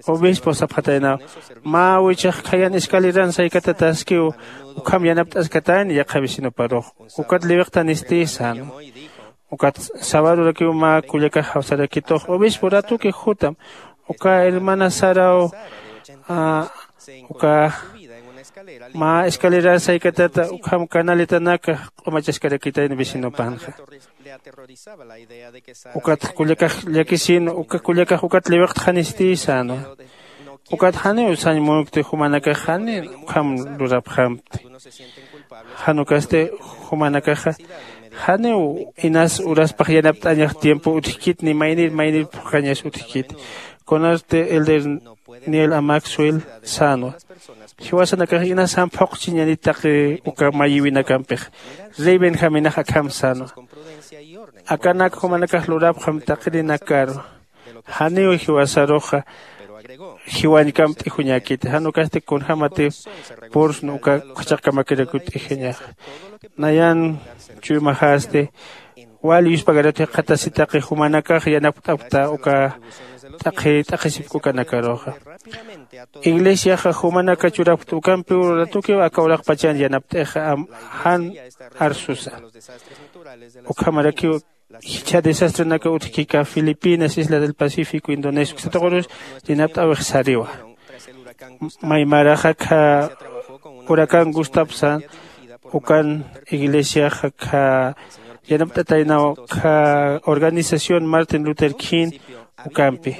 obispo sapxataynaw mä awichax khayan escaleran saykatataskiw ukham yanapt'askatayna yaqha vecinoparux. Ukat liwiqtanisti sän. Ukat sabadurakiw mä kullakax jawsarakitux obispo ratuki jutam uka hermana saraw uka mä escalerar saykatata ukham canaletanaka q'umachaskarakitayna vecinopanxa. Ukat kullakax llakisin, uka kullakax ukat liwiqtxanisti sänwa. Ukat janiw sañ munkti jumanakax jani ukham lurapxamti. Jan ukasti jumanakaxa janiw inas uraspax yanapt'añax tiempo utjkit ni maynir maynir phuqhañas utjkit. Kunasti elder Neil a Maxwell sänwa, jiwasanakax inas jan phuqchiñanit taqi uka mayiwinakampixa. Rey Benjaminax akham sänwa, akanak jumanakax lurapxam taqirinakaru, janiw jiwasaruxa jiwañkamp t'ijunakiti. Jan ukasti kunjämatix pursn uka juchaqkamakiraku t'ijxañaxa. Nayan chuymaxasti wal yuspagaratu jikxatasi taqi jumanakax yanapt'apkta uka t'aqhi t'aqhisipk ukanakaruxa. Iglesiaxa jumanaka churapkta ukampiw ratukiw aka uraqpachan yanapt'ixa jan arsusa. Ukhamarakiw jichha desastrenaka utjkika Filipinas, Isla del Pacífico, Indonesia uksataqurus yanapt'äwix sariwa. Maymaraxa kha huracán Gustapsan ukan iglesiaxa kha yanapt'ataynaw kha organización Martin Luther King ukampi.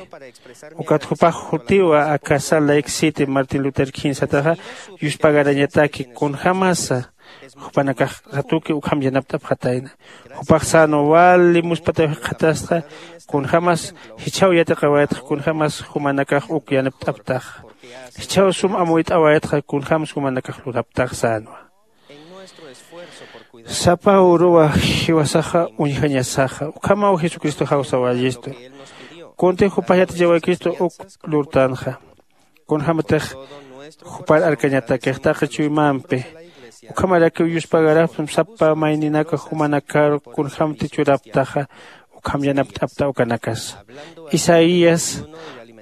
Ukat jupax jutiwa aka Salt Lake City Martin Luther King sataxa yuspagarañataki kunjämasa jupanakax ratuki ukham yanapt'apxatayna. Jupax sänwa wali muspataw jikxatasta kunjämas jichhaw yatiqawaytxa kunjämas jumanakax uk yanapt'aptaxa. Jichhaw sum amuyt'awaytxa kunjämsa jumanakax luraptaxa sänwa. Sapa uruwa jiwasaxa uñjañasaxa ukhamaw Jesucristo jawsawayistu. Kunti jupax yatichawaykistu uk lurtanxa. Kunjämatix jupar arkañatakix taqi chuymampi. Ukhamarakiw yuspagarapxam sapa mayninaka jumanakaru kunjämti churaptaxa ukham yanapt'apta ukanakasa. Isaías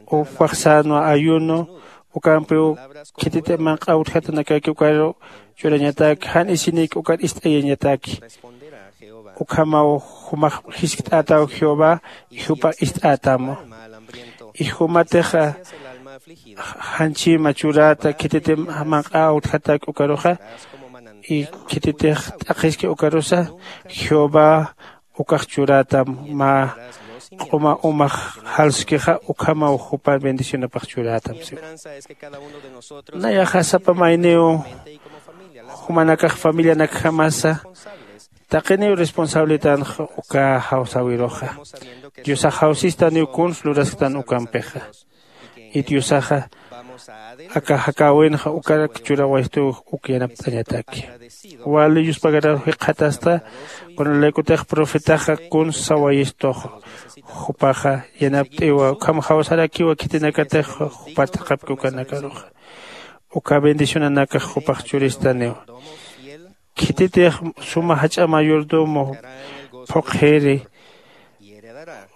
jupax sänwa ayuno ukampiw khititi manq'a utjatanakaki ukaru churañataki jan isinïki ukar ist'ayañataki. Ukhamaw jumax jiskt'ätaw Jehová y jupa ist'ätamu. Y jumatixa janchima churata khititi manq'a utjatak ukaruxa y khititix t'aqhiski ukarusa Jehová ukax churatam mä q'uma umax jalskixa ukhamaw jupa bendicionapax churatam siwa. Nayaxa sapa mayniw jumanakax familianakjamasa taqiniw responsabilitanxa uka jawsawiruxa. Diosax jawsistaniw kuns lurasktan ukampixa. Y diosaxa aka jakäwinxa ukarak churawayistuw uk yanapt'añataki. Wali yuspagaraw jikxatasta kunalaykutix profetaxa kuns sawayistuxa. Jupaxa yanapt'iwa ukham jawsarakiwa khitinakatix jupar t'aqhapki ukanakaruxa. Uka bendicionanakax jupax churistaniwa. Khititix suma jach'a mayordomo phuqhiri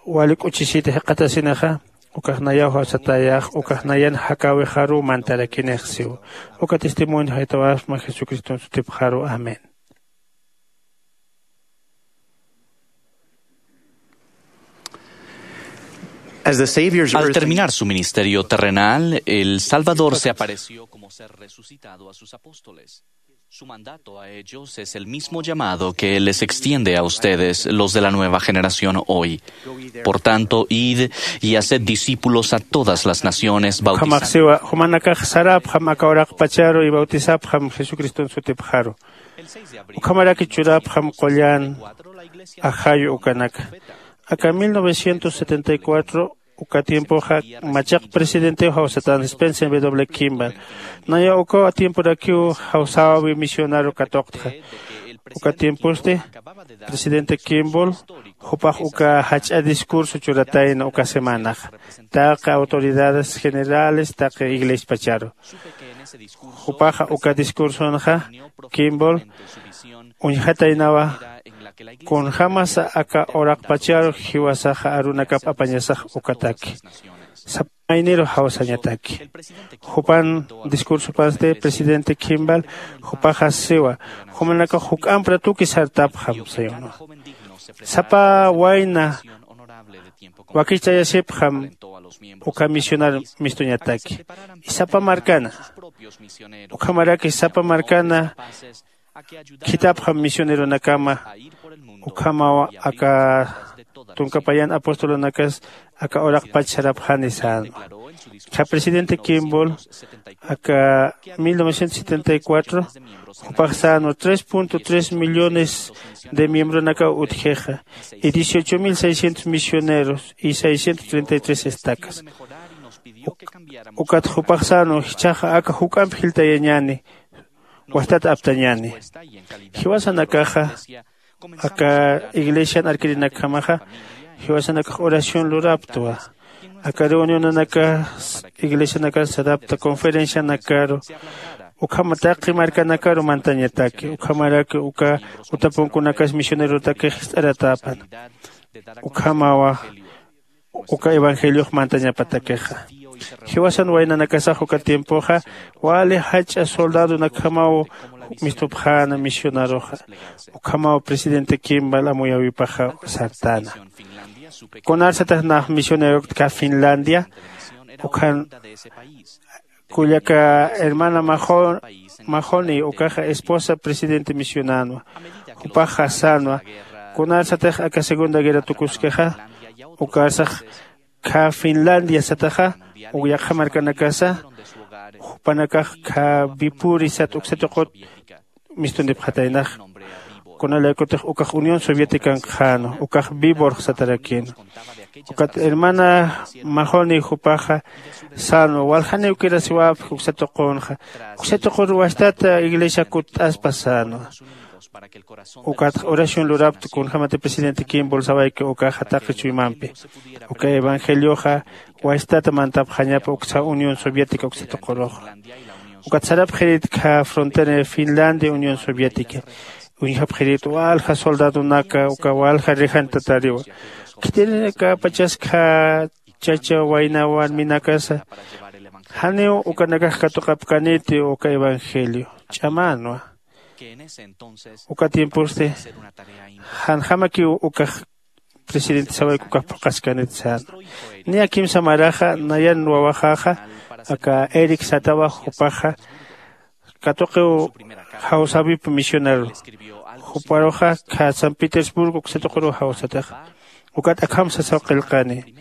wali k'uchisita jikxatasinixa ukax nayaw jawsatayax ukax nayan jakäwixaruw mantarakinix siw. Uka testimonio jaytawasma jesucriston sutipxaru amén. Al terminar su ministerio terrenal, el Salvador se apareció como ser resucitado a sus apóstoles. Su mandato a ellos es el mismo llamado que Él les extiende a ustedes, los de la nueva generación, hoy. Por tanto, id y haced discípulos a todas las naciones, bautizando. Ukhamax siwa jumanakax sarapxam aka uraqpacharu y bautizapxam jesucriston sutipxaru. Ukhamaraki churapxam qullan ajayu ukanaka. Aka mil novecientos setenta y cuatro uka tiempoxa machaq presidentew jawsatan Spencer W Kimball. Naya uka tiemporakiw jawsäwi misionaru katuqtxa. Uka tiemposti presidente Kimball jupax uka jach'a discurso churatayna uka semanaxa taqi autoridades generales taqi iglesiapacharu. Jupaxa uka discursonxa Kimball uñjataynawa kunjämasa aka uraqpacharu jiwasaxa arunakap apañasax ukataki. Sapa mayniru jawsañataki. Jupan discursopansti presidente Kimball jupaxa siwa jumanakax juk'amp ratuki sartapxam sayunwa. Sapa wayna wakichtayasipxam uka misionar mistuñataki. Y sapa markana ukhamaraki sapa markana khithapxam misioneronakama. Ukhamaw aka tunka payan apostolunakas aka uraqpach sarapxani sänwa. Kha presidente Kimball aka mil novecientos setenta y cuatro jupax sänwa tres punto tres millones de miembronakaw utjixa, y dieciocho mil seiscientos misioneros y seiscientos treinta y tres estacas. Ukat jupax sänwa jichhaxa aka juk'amp jiltayañäni, wastat aptañäni. Jiwasanakaxa aka iglesian arkirinakjamaxa jiwasanakax oración luraptwa. Aka reunionanakas iglesianakas sarapta conferencianakaru, ukhama taqi markanakaru mantañataki ukhamaraki uka utapunkunakas misionerotakix jist'aratäpan. Ukhamawa uka evangeliox mantañapatakixa. Jiwasan waynanakasax uka tiempoxa wali jach'a soldadonakjamaw mistupxäna misionaroxa. Ukhamaw presidente Kimball amuyäwipaxa sartäna. Kunarsatix nax misionerokta kä Finlandia ukhan kullaka hermana Mahoney ukaxa esposa presidente misionänwa. Jupaxa sänwa kunarsatix aka segunda guerra tukuskixa ukarsax kha Finlandia sataxa uk yaqha markanakasa jupanakax kha Vipuri sat uksa tuqut mistunipxataynax. Kunalaykutix ukax Unión Soviética ankxänwa ukax Viborg satarakïnwa. Ukat hermana Mahoney jupaxa sänwa waljaniw kirasiwäpki uksa tuqunxa. Uksa tuqur wastata iglesia kutt'aspa sänwa. Ukatxa oración lurapta kunjämati presidente Kimball sawayki ukaxa taqi chuymampi uka evangelioxa wastata mantapxañapa uksa Unión Soviética uksa tuquruxa. Ukat sarapxirït kha frontera Finlandia Unión Soviética uñjapxirït walja soldadonaka uka walja rejantatariwa. Khitinakapachas kha chacha wayna warminakasa janiw ukanakax katuqapkäniti uka evangelio ch'amänwa. Uka tiemposti janjamakiw ukax presidente sawayki ukax phuqhaskanit sänwa. Niya kimsa maraxa nayan wawaxaxa aka Eric satawa jupaxa katuqiw jawsäwip misionaru. Juparuxa kha San Petersburgo uksa tuquruw jawsataxa. Ukat akham sasaw qillqani: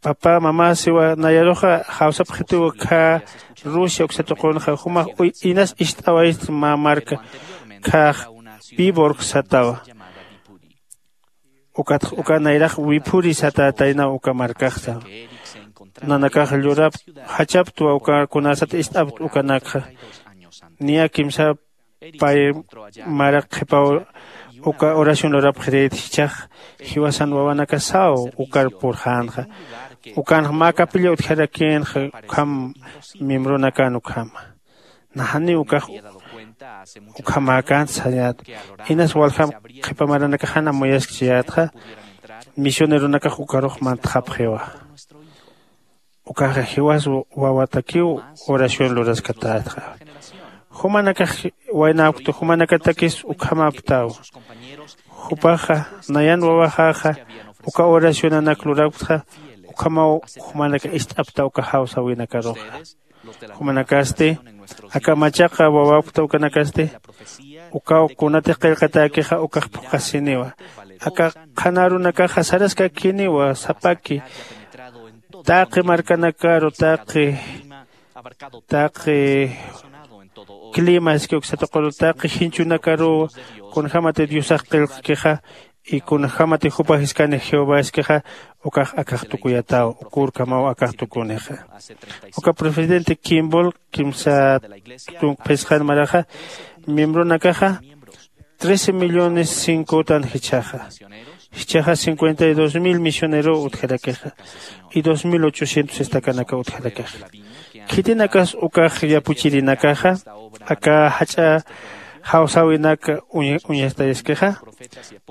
papá mamá, siwa nayaruxa jawsapxitiw kha Rusia uksa tuqunxa, jumax inas ist'awayist mä marka khax Viborg satawa. Ukatx uka nayrax Vipuri satätaynaw uka markaxsa. Nanakax llurap jachaptwa uka kunasat ist'apt ukanakxa. Niya kimsa pay marak qhipaw uka oración lurapxirït jichhax jiwasan wawanakasaw ukar purxänxa. Ukanx mä capilla utjarakïnxa ukham miembronakan ukhama. Naxaniw ukax ukhamäkänti sañät. Inas waljam qhipa maranakax jan amuyaskchayätxa misioneronakax ukarux mantxapxiwa. Ukaxa jiwas wawatakiw oración luraskatätxa. Jumanakax waynäpkta jumanakatakis ukhamäpktaw. Jupaxa nayan wawaxaxa uka oracionanak lurapktxa ukhamaw jumanakax ist'apkta uka jawsäwinakaruxa. Jumanakasti aka machaqa wawapkta ukanakasti ukaw kunatix qillqatäkixa ukax phuqhasiniwa. Aka qhanarunakaxa saraskakiniwa sapaki taqi markanakaru taqi taqi clima iski uksa tuquru taqi jinchunakaruw kunjämati diosax qillqkixa y kunjämati jupa jiskani jehová iskixa ukax akax tukuyataw. Ukurkamaw akax tukunixa. Uka presidente Kimball kimsa tunk phisqan maraxa miembronakaxa trece millones cinco utan jichhaxa. Jichhaxa cincuenta y dos mil misionerow utjarakixa y dos mil ochocientos estacanakaw utjarakixa. Khitinakas ukax yapuchirinakaxa aka jach'a jawsäwinak uñastayaskixa.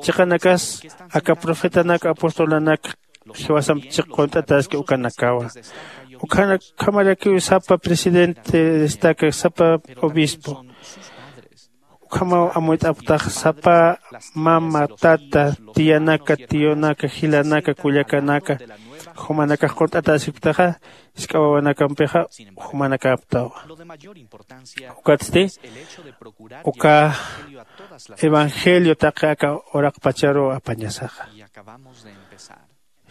Chiqanakas aka profetanak apostolanak jiwasamp chiq qunt'ataski ukanakawa. Ukhamarakiw sapa presidente destaca sapa obispo ukhamaw amuyt'apktax sapa mama tata tiyanaka tiyunaka jilanaka kullakanaka Jumanakax qunt'atäsipktaxa, jisk'a wawanakampixa jumanakäptawa. Ukatsti uka evangelio taqi aka uraqpacharuw apañasaxa.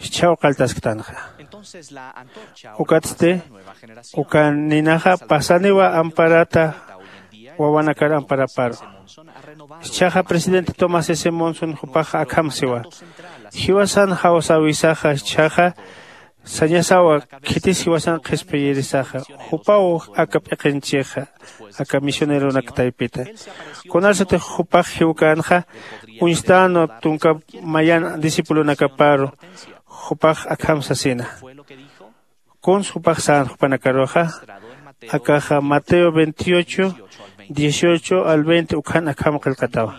Jichhaw qalltasktanxa. Ukatsti uka ninaxa pasaniwa amparata wawanakar amparaparu. Jichhaxa presidente Thomas S. Monson jupax akham siwa: Jiwasan jawsäwisaxa jichhaxa sañasawa, khitis jiwasan qhispiyirisaxa, jupaw aka p'iqinchixa, aka misioneronak taypita. Kunasatix jupax jiwkänxa uñstänwa tunka mayan discipulonakaparu, jupax akham sasina. Kuns jupax sän jupanakaruxa, akaxa Mateo veintiocho, dieciocho al veinte ukhan akham qillqatawa.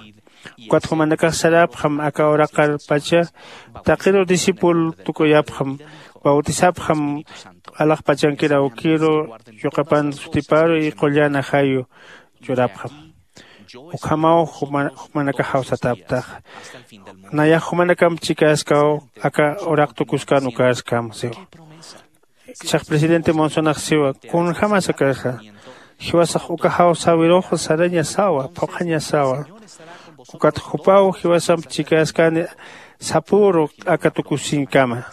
Ukat jumanakax saräpxam aka uraqarpacha, taqiruw discípulo tukuyapxam, bautizapxam alaxpachankir awkiru, yuqapan sutiparu y qullan ajayu churapxam. Ukhamaw juma-, jumanakax jawsatäptaxa. Nayax jumanakamp chikäskaw aka uraq tukuskan ukäskam siwa. Jichhax presidente Monsonax siwa: Kunjämas akaxa, jiwasax uka jawsäwirux sarañasawa, phuqhañasawa. Ukat jupaw jiwasamp chikäskani sapüru aka tukusiñkama.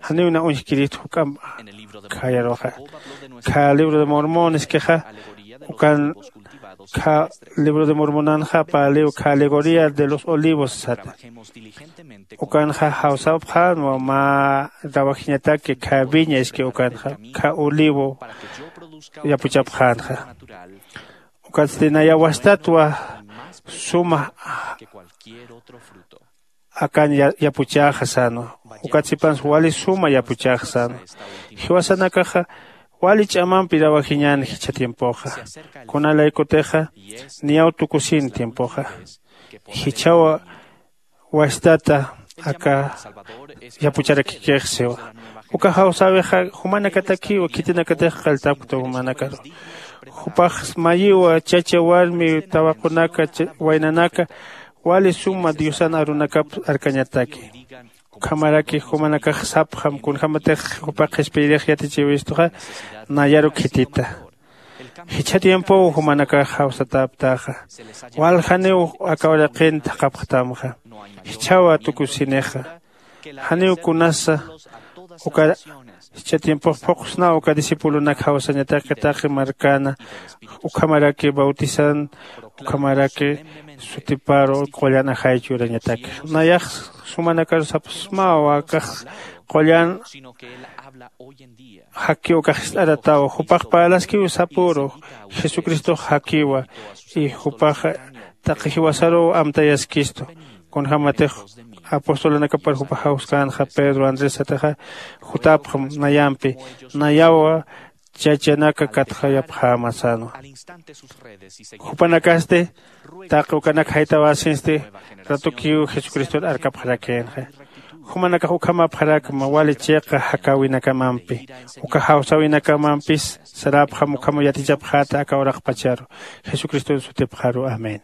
Janiw na uñjkirït juk'amp khayaruxa. Kha libro de Mormón iskixa, ukan kha libro de Mormonanxa paliw kha alegoría de los olivos sata. Ukanxa jawsapxänwa mä trabajiñataki kha viña iski ukanxa, kha olivo yapuchapxänxa. Ukatsti naya wastatwa suma akan ya-, yapuchäxa sänwa. Ukat sipansa wali suma yapuchäxa sänwa. Jiwasanakaxa wali ch'amampi trabajiñän jichha tiempoxa. Kunalaykutixa niyaw tukusin tiempoxa. Jichhawa wastata aka yapucharakikix siwa. Uka jawsäwixa jumanakatakiwa, khitinakatix qalltapkta jumanakaru. Jupax mayiwa chacha, warmi, tawaqunaka, cha-, waynanaka, wali suma Diosan arunakap arkañataki. Ukhamaraki jumanakax sapxam, kunjämatix jupax qhispiyirix yatichiwistuxa, nayaru khitita. Jichha tiempow jumanakax jawsatäptaxa. Waljaniw aka uraqin thaqhapxtamxa. Jichhawa tukusinixa. Janiw kunasa uka jichha tiempox phuqsnaw uka discipulonak jawsañataki taqi markana, ukhamaraki bautizan, ukhamaraki sutiparu qullan ajay churañataki. Nayax jumanakaru sapxsmawa akax qullan jakiw ukax jist'aratawa, jupax parlaskiw sapüru, Jesucristox jakiwa, y jupax taqi jiwasaruw amtayaskistu. Kunjämatix apostolonakapar jupax jawskänxa Pedro, Andrés sataxa, jutapxam nayampi, nayawa chachanaka katxayapxäma sänwa. Jupanakasti taqi ukanak jaytawäsinsti ratukiw Jesucristor arkapxarakïnxa. Jumanakax ukhamapxarakma wali chiqa jakäwinakamampi, uka jawsäwinakamampis saräpxam ukham yatichapxäta aka uraqpacharu. Jesucriston sutipxaru. Amén.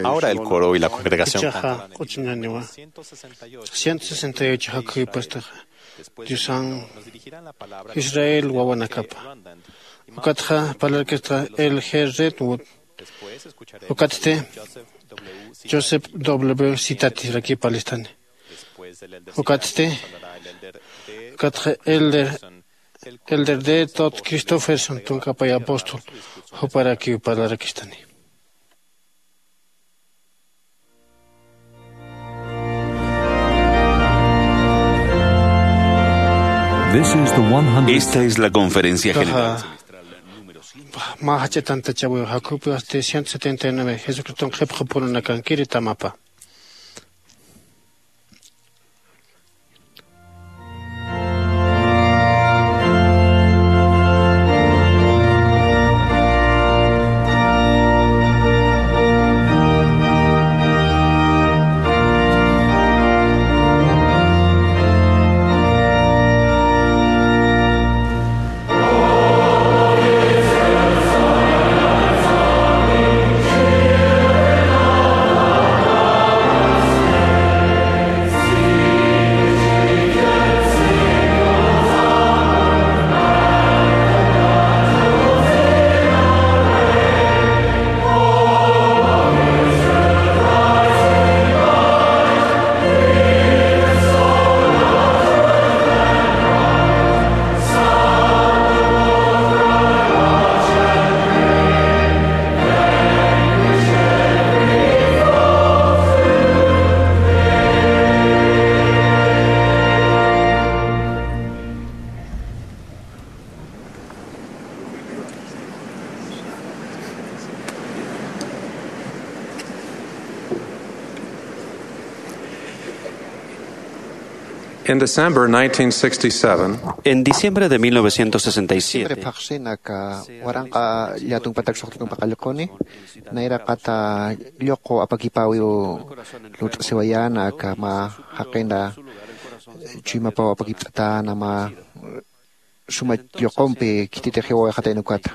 Ahora el coro y la congregación cantarán el himno ciento sesenta y ocho. Jichhaxa q'uchuñaniwa. Ciento sesenta y ocho jakhuypastaxa Diosan Israel wawanakapa. Ukatxa parlarkista L G Redwood. Ukatsti Joseph W Citati rakiw parlastani. Ukatsti ukatxa Elder Elder D Todd Christofferson, tunka pay apóstol, juparakiw parlarakistani. This is the one hundred. Esta es la conferencia general semestral número cien. Mä jach'a tantachäwiw, jakhupasti ciento setenta y nueve, Jesucriston qhipxapurunakankiri tamapa. In December nineteen sixty-seven, En diciembre de mil novecientos sesenta y siete, Diciembre phaxsin aka waranqa llätunpatak suxtutumpa qallquni, nayraqata lluqu apakipäwiw lurt'asiwayäna aka mä jaqina chuymapaw apakipt'atäna mä suma lluqumpi khititix jiwawayxatayna ukata.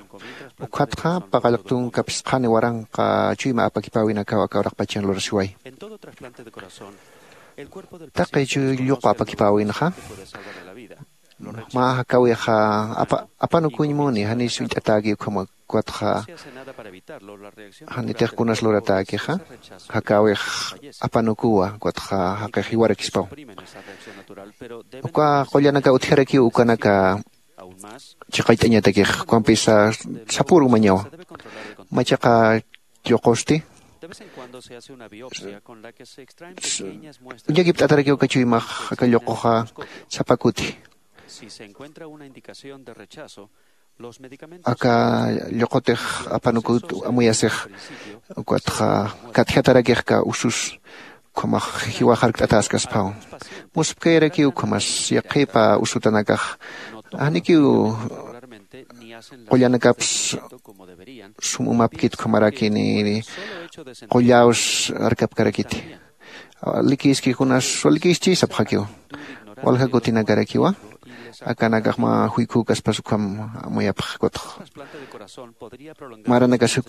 Ukatxa paqallqtun kapsqhani waranqa chuyma apakipäwinakaw aka uraqpachan lurasiway. Taqi chuy lluqu apakipäwinxa mä jakäwixa apanukuñ muni, janis uñt'atäki ukhama ukatxa janitix kunas luratäkixa jakäwix apanukuwa ukatxa jaqix jiwarakispaw. Uka qullanaka utjarakiw ukanaka chiqayt'añatakix ukampisa sapüru mañawa. Machaqa lluqusti uñakipt'atarakiw aka chuymax aka lluquxa sapa kuti. Aka lluqutix apanukut amuyasix ukatxa katjatarakixka usus ukhamax jiwaxarkt'atäskasphaw. Muspkayarakiw ukhamas yaqhipa usutanakax janikiw qullanakaps sum umapkit ukhamaraki ni qullaws arkapkarakiti. Likiski kunas walikischi sapxakiw. Walja kutinakarakiwa akanakax mä juykükaspas ukham amuyapxkutx. Maranakasuk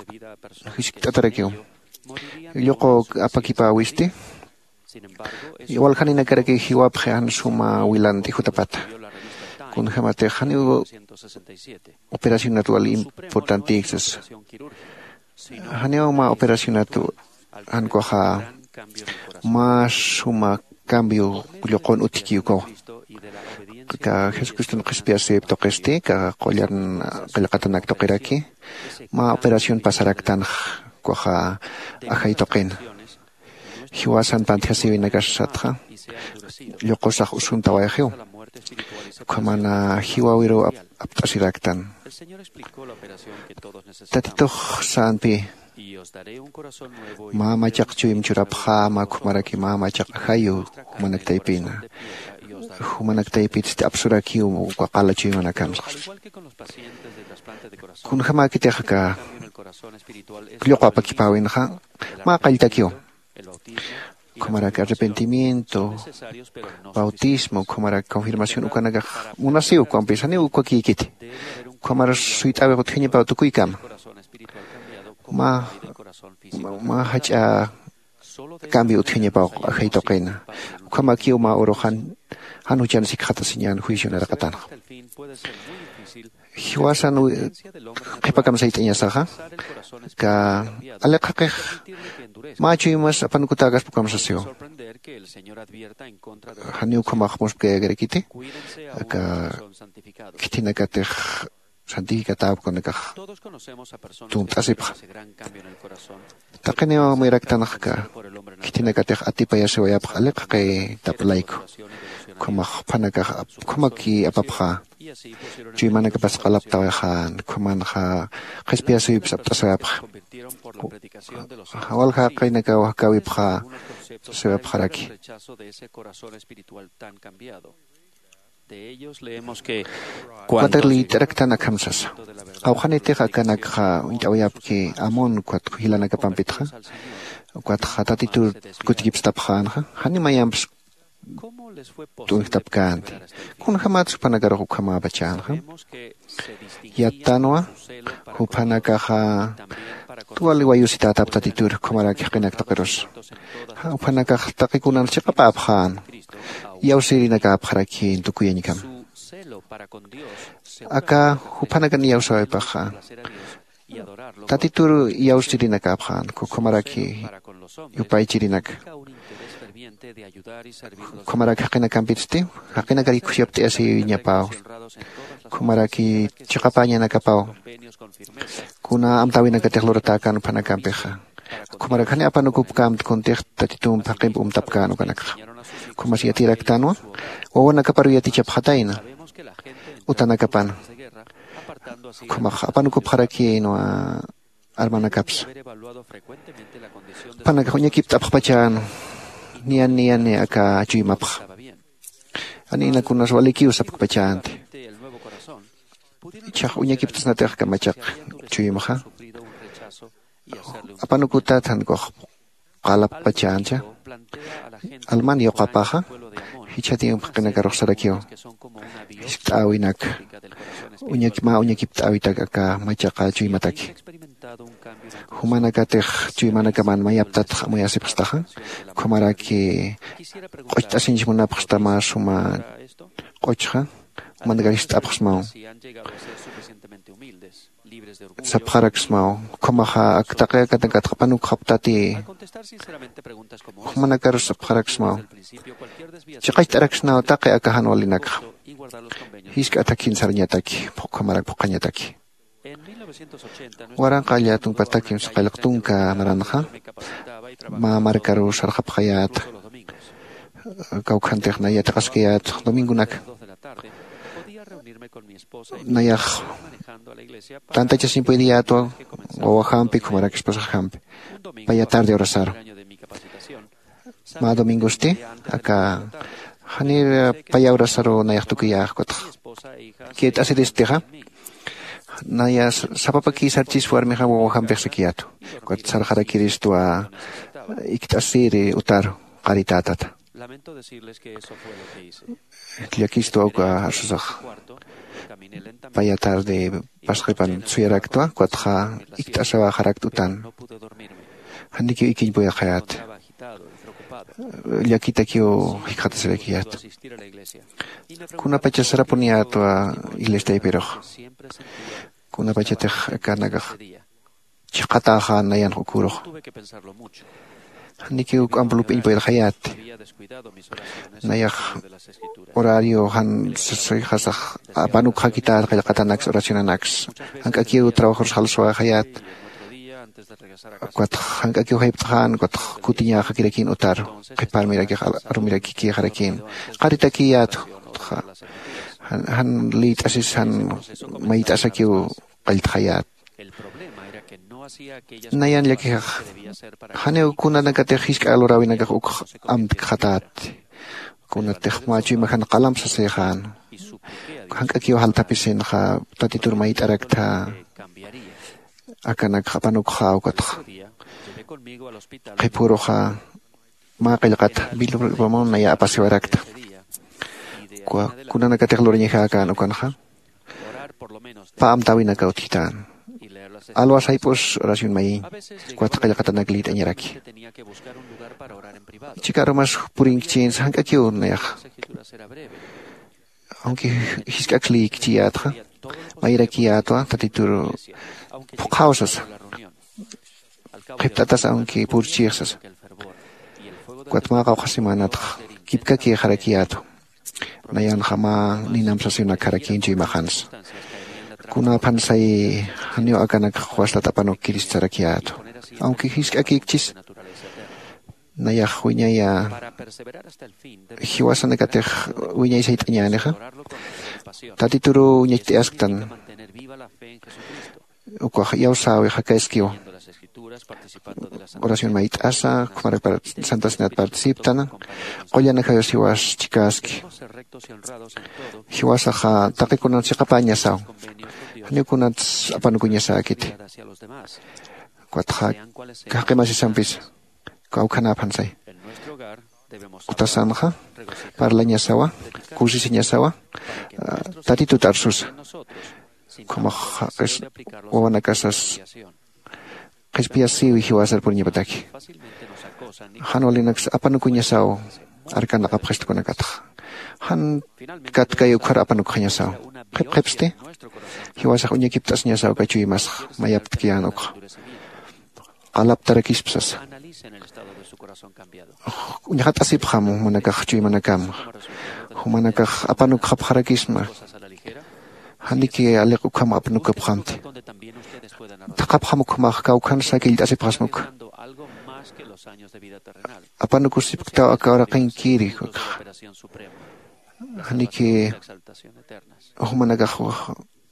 jiskt'atarakiw lluqu apakipäwisti. Waljaninakarakiw jiwapxi jan suma wilanti jutapata. Kunjämatix janiw operacionat wal importantïksas. Janiw mä operacionat jan ukaxa mä suma cambio lluqun utjki ukawa. Aka jesucriston qhispiyasïp tuqisti aka qullan qillqatanak tuqiraki mä operación pasaraktanx ukaxa ajay tuqin. Jiwasan pantjasiwinakasatxa lluqusax usuntawayxiw. Ukhamana jiwawiruw apt'asiraktan. Tatitux sänpi mä machaq chuym churapxäma ukhamaraki mä machaq ajayu jumanak taypina jumanak taypitsti apsurakiw uka qala chuymanakamsa. Kunjämäkitix aka lluqu apakipäwinxa mä qalltakiw. Ukhamarak arrepentimiento, bautismo, ukhamarak confirmación ukanakax munasiw ukampis janiw ukakïkiti. Ukhamar suyt'äwix utjañapaw tukuykama mä mä jach'a cambio utjañapaw ajay tuqina. Ukhamakiw mä urux jan juchan sikxatasiñän juicio naraqatanxa. Jiwasan qhipakam sayt'añasaxa aka aliq jaqix mä chuymas apanukutäkaspa ukham sasiwa. Janiw ukhamax muspkayäkarakiti aka khithinakatix santifikatawapkunakax tunt'asipxa. Taqiniw amuyaraktanaxka khithinakatix atipayasiwayapxa aliq jaqitap layku. Ukhamax juphanakax ukhamaki apapxä. Chuymanakapas qalaptawayxän ukhamanxa qhispiyasïwipsa apt'asawayapxa. Walja jaqinakaw jakäwipxä sasawayapxaraki. Ukatak liyt'araktan akham sasa. Qawqhanitix akanakxa uñt'awayapki amun ukat jilanakapampitxa ukatxa tatitur kutikipstapxänxa jani mayamps t'unjtapkänti. Kunjämats juphanakarux ukhamäpachänxa. Yattanwa juphanakaxa tuwali wayusitätap tatitur jukhamarak jaqinak tuqirusa. Juphanakax taqi kunan chiqapäpxän iyawsirinakäpxarakïn tukuyañkama. Aka jupanakan iyawsawaypaxa tatitur iyawsirinakäpxän ukhamaraki yupaychirinaka. Ukhamaraki jaqinakampitsti jaqinakar ikhusyapt'ayasiwiñapaw. Ukhamaraki chiqapäñanakapaw kuna amtäwinakatix luratäkän juphanakampixa. Ukhamarak jani apanukupkämt kuntix tatitump jaqimp umtapkän ukanakxa. Ukhamas yatiraktanwa wawanakaparuw yatichapxatayna utanakapan. Ukhamax apanukupxarakïnwa armanakapsa. Jupanakax uñakipt'apxpachänwa niyan niyani aka chuymapxa. Janïna kunas walikiw sapkpachänti. Ichhax uñakiptasnatix kamachaq chuymxa apanukutat jankux qalapkpachäncha. Alman yuqapaxa jichha tiempo qinakarux sarakiw. Jiskt'äwinak uñaki mä uñakipt'äwitak aka machaqa chuymataki. Jumanakatix chuymanakaman mayaptatx amuyasipxstaxa, ukhamaraki q'ucht'asiñch munapxsta mä suma q'uchxa. Jumanakar jist'apxsmaw, sapxaraksmaw, ukhamaxa ak taqi akanakatx apanukxaptati. Jumanakarus sapxaraksmaw, chiqacht'araksnaw taqi aka jan walinakxa. Jisk'a athakhin sarañataki, ukhamarak phuqhañataki. Waranqa llatumpatak kimsa qallq tunka maranxa mä markaru sarxapxayät. Kawkhantix nay yatiqaskayät domingonaka. Nayax tantachasiñ puediyätwa, wawajampi ukhamaraki esposaxampi paya tarde horasaru. Mä domingosti aka janir paya horasaru nayax tukuyäx. Ukatx kït'asiristixa naya sapapakï sarchis warmixam wawajampix sakiyätwa. Ukat sarxarakiristwa ikt'asiri utaru qaritätata. Llakistwa uka arsusax. Paya tarde pasqipan suyaraktwa, ukatxa ikt'asawaxarakt utan. Janikiw ikiñ puyxayät. Llakitakiw jikxatasirakiyät. Kunapachas sarapuniyätwa iglesiapirux. Kunapachatix akanakax chiqatäxa nayan ukürux. Janikiw k'amp lup'iñ puyirxayät. Nayax horario jan sixasax apanukxakität qillqatanaks oracionanaks. Jank'akiw trabajorus jalsuwaxayät. Ukatx jank'akiw jaypt'xän ukatx kutiñäxakirakïn utar qhiparmirakix arumirakikïxarakïn. Qaritakiyät. Jan liyt'asis jan mayt'asakiw qalltxayät. Nayan llakixax janiw kunanakatix jisk'a luräwinakax ukx amtkxatät. Kunatix mä chuymajan qalamp sasixän. Jank'akiw jalthapisinxa tatitur mayt'araktha. Akanakx apanukxä ukatx qhipüruxa mä qillqat bilbamon naya apasiwarakta. Kunanakatix lurañaxäkän ukanxa pä amtäwinakaw utjitän. Alwas jayp'us oración mayiñ. Ukat qillqatanak lït'añaraki. Chikarumas purinkchïnsa jank'akiw nayax. Aunque jisk'aks lïkchiyätxa mayirakiyätwa tatitur phuqhaw sasa. Qhipt'atas aunque purchix sasa. Ukat mä qawqha semanatx kipkakixarakiyätwa. Nayanxa mä ninamp sasiwinakxarakïnchu imaxansa. Kunaphan say janiw akanakx wastat apanukkirist sarakiyätwa. Aunque jisk'akïkchis nayax wiñaya jiwasanakatix wiñay sayt'añänixa tatituruw ñacht'ayasktan. Ukax iyawsäwi jakaskiw oración mayt'asa ukhamaraki santasinat participtan. Qullan ajayus jiwas chikäski. Jiwasaxa taqi kunat chiqapäñasaw. Janiw kunats apanukuñasäkiti. Ukatxa jaqimasisampisa kawkhanäphan say. Kutasanxa parlañasawa, kusisiñasawa tatitut arsusa. Ukhamax wawanakasas qhispiyasïwi jiwasar puriñapataki. Jan walinaksa apanukuñasaw arkanaqapxistkunakatxa. Jan katkay ukhar apanukxañasaw. Qhipqhipsti jiwasax uñakipt'asiñasaw kachuymasxa mayaptkiyän ukxa. Qalaptarakispa sasa. Uñxat'asipxam jumanakax chuymanakam. Jumanakax apanukxapxarakisma. Janiki aliq ukham apanukapxamti. Thaqhapxam ukhamax kawkhansa killt'asipxasma ukha. Apanukusipktaw aka uraqinkiri ukxa. Janiki jumanakax